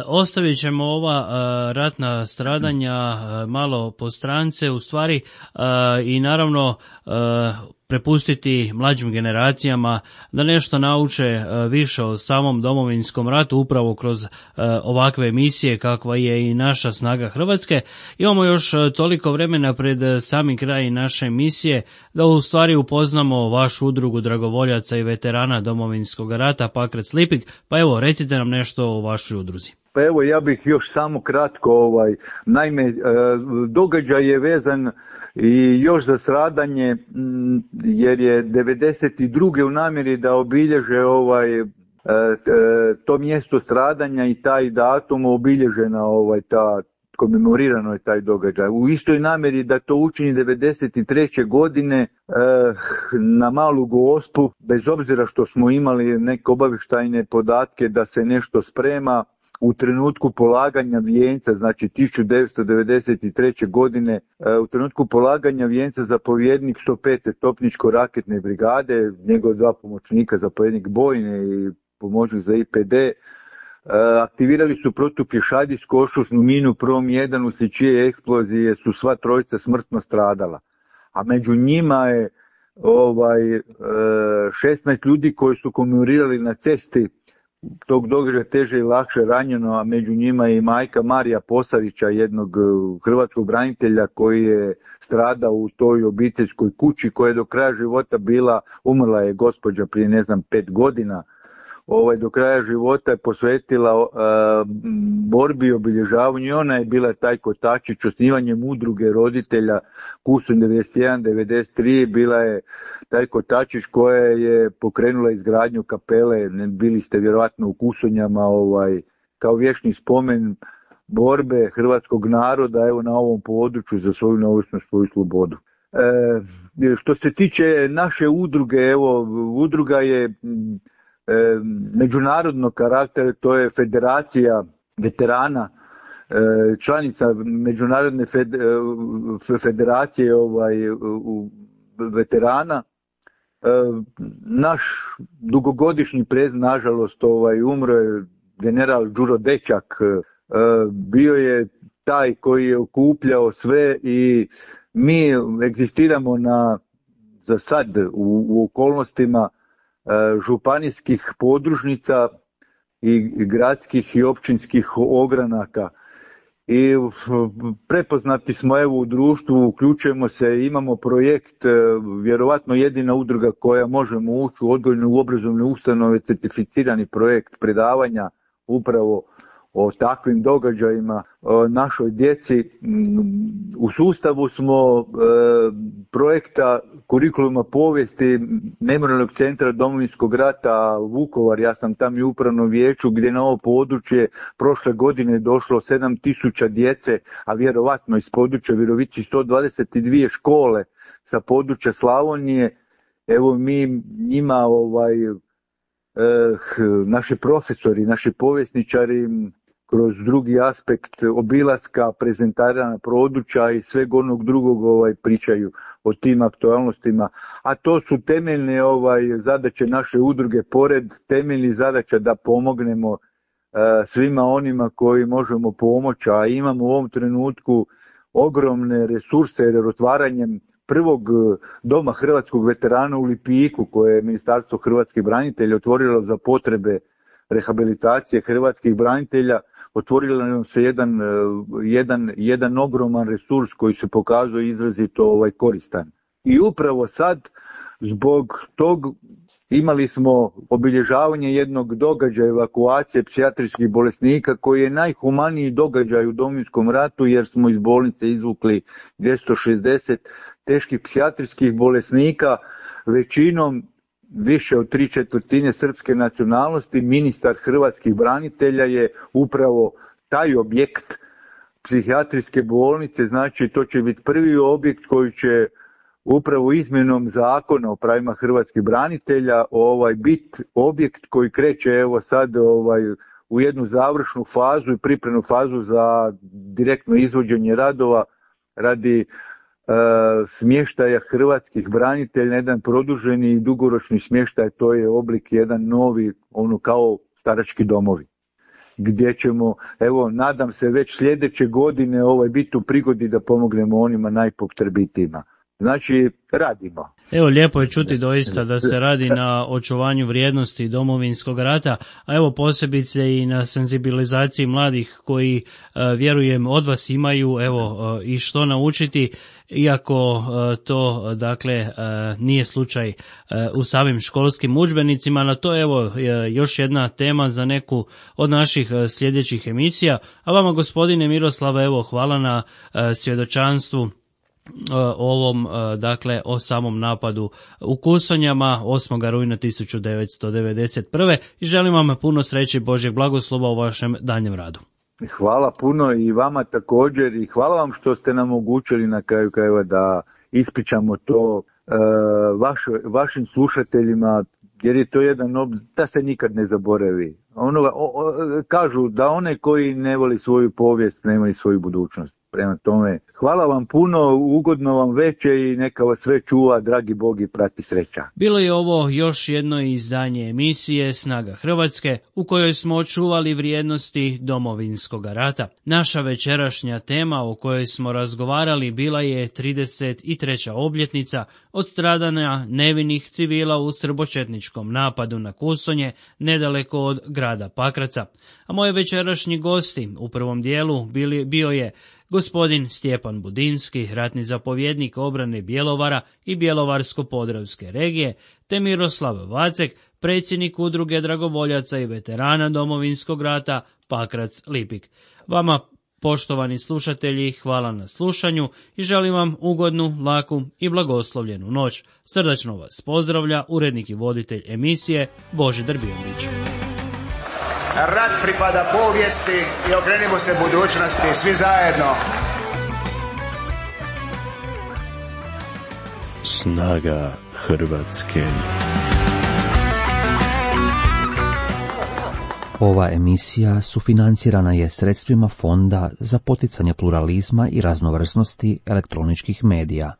Ostavit ćemo ova ratna stradanja malo po strance, u stvari, i naravno prepustiti mlađim generacijama da nešto nauče više o samom Domovinskom ratu upravo kroz ovakve emisije kakva je i naša Snaga Hrvatske. Imamo još toliko vremena pred sami kraj naše emisije da u stvari upoznamo vašu udrugu dragovoljaca i veterana Domovinskog rata Pakrac Lipik, pa evo recite nam nešto o vašoj udruzi. Pa evo, ja bih još samo kratko, naime, događaj je vezan i još za stradanje, jer je 92. u namjeri da obilježe to mjesto stradanja i taj datum obilježena komemorirano je taj događaj. U istoj namjeri da to učini 93. godine na Malu Gospu, bez obzira što smo imali neke obavještajne podatke da se nešto sprema, u trenutku polaganja vijenca, znači 1993. godine, u trenutku polaganja vijenca zapovjednik 105. topničko-raketne brigade, njegov 2 pomoćnika, zapovjednik bojne i pomoćnik za IPD, aktivirali su protupješadijsku ošusnu minu Prom 1, uslijed čije eksplozije su sva trojica smrtno stradala. A među njima je 16 ljudi koji su komemorirali na cesti tog događaja teže i lakše ranjeno, a među njima je i majka Marija Posarića, jednog hrvatskog branitelja koji je stradao u toj obiteljskoj kući koja je do kraja života umrla je gospođa prije 5 godina. Do kraja života je posvetila borbi i obilježavanju i ona je bila taj kotačić osnivanjem udruge roditelja Kusunj 91-93, bila je taj kotačić koja je pokrenula izgradnju kapele, bili ste vjerojatno u Kusonjama, kao vječni spomen borbe hrvatskog naroda na ovom području za svoju neovisnost, svoju slobodu. Što se tiče naše udruge, udruga je međunarodnog karaktera, to je federacija veterana, članica međunarodne federacije veterana. Naš dugogodišnji prezid, nažalost, umro je general Đuro Dečak, bio je taj koji je okupljao sve i mi egzistiramo na za sad u okolnostima županijskih podružnica i gradskih i općinskih ogranaka. I prepoznati smo evo u društvu, uključujemo se, imamo projekt, vjerovatno jedina udruga koja možemo ući u odgojne u obrazovne ustanove, certificirani projekt predavanja upravo o takvim događajima našoj djeci. U sustavu smo projekta kurikuluma povijesti Memorijalnog centra Domovinskog rata Vukovar, ja sam tam i u upravnom vijeću, gdje na ovo područje prošle godine došlo 7.000 djece, a vjerovatno iz područja Virovitice 122 škole sa područja Slavonije. Evo mi njima naši profesori, naši povjesničari kroz drugi aspekt obilaska, prezentiranja područja i sveg onog drugog pričaju o tim aktualnostima. A to su temeljne zadaće naše udruge, pored temeljnih zadaća da pomognemo svima onima koji možemo pomoći, a imamo u ovom trenutku ogromne resurse jer otvaranjem prvog doma hrvatskog veterana u Lipiku, koje je Ministarstvo hrvatskih branitelja otvorilo za potrebe rehabilitacije hrvatskih branitelja, otvorilo nam se jedan ogroman resurs koji se pokazuje izrazito koristan. I upravo sad, zbog tog, imali smo obilježavanje jednog događaja evakuacije psihijatrijskih bolesnika koji je najhumaniji događaj u Domovinskom ratu jer smo iz bolnice izvukli 260 teških psihijatrijskih bolesnika, većinom više od 3/4 srpske nacionalnosti. Ministar hrvatskih branitelja je upravo taj objekt psihijatrijske bolnice, znači to će biti prvi objekt koji će upravo izmjenom zakona o pravima hrvatskih branitelja biti objekt koji kreće evo sad u jednu završnu fazu i pripremnu fazu za direktno izvođenje radova radi smještaja hrvatskih branitelja, jedan produženi i dugoročni smještaj, to je oblik jedan novi, kao starački domovi, gdje ćemo, evo, nadam se već sljedeće godine biti u prigodi da pomognemo onima najpotrebitijima. Znači, radimo. Evo, lijepo je čuti doista da se radi na očuvanju vrijednosti Domovinskog rata, a evo posebice i na senzibilizaciji mladih koji, vjerujem, od vas imaju i što naučiti, iako to dakle nije slučaj u samim školskim udžbenicima. Na to još jedna tema za neku od naših sljedećih emisija. A vama, gospodine Miroslave, hvala na svjedočanstvu ovom, o samom napadu u Kusonjama 8. rujna 1991. i želim vam puno sreće i Božjeg blagoslova u vašem daljnjem radu. Hvala puno i vama također i hvala vam što ste nam omogućili na kraju krajeva da ispričamo to vašim slušateljima, jer je to jedan da se nikad ne zaboravi. Kažu da one koji ne voli svoju povijest nemaju svoju budućnost. Prema tome, hvala vam puno, ugodno vam veče i neka vas sve čuva, dragi Bog, i prati sreća. Bilo je ovo još jedno izdanje emisije Snaga Hrvatske u kojoj smo očuvali vrijednosti Domovinskog rata. Naša večerašnja tema o kojoj smo razgovarali bila je 33. obljetnica od stradanja nevinih civila u srbočetničkom napadu na Kusonje nedaleko od grada Pakraca. A moji večerašnji gosti u prvom dijelu bio je gospodin Stjepan Budinski, ratni zapovjednik obrane Bjelovara i Bjelovarsko-podravske regije, te Miroslav Vacek, predsjednik udruge dragovoljaca i veterana Domovinskog rata Pakrac Lipik. Vama, poštovani slušatelji, hvala na slušanju i želim vam ugodnu, laku i blagoslovljenu noć. Srdačno vas pozdravlja urednik i voditelj emisije Božidar Bijelić. Rat pripada povijesti i okrenimo se budućnosti svi zajedno. Snaga Hrvatske. Ova emisija sufinancirana je sredstvima Fonda za poticanje pluralizma i raznovrsnosti elektroničkih medija.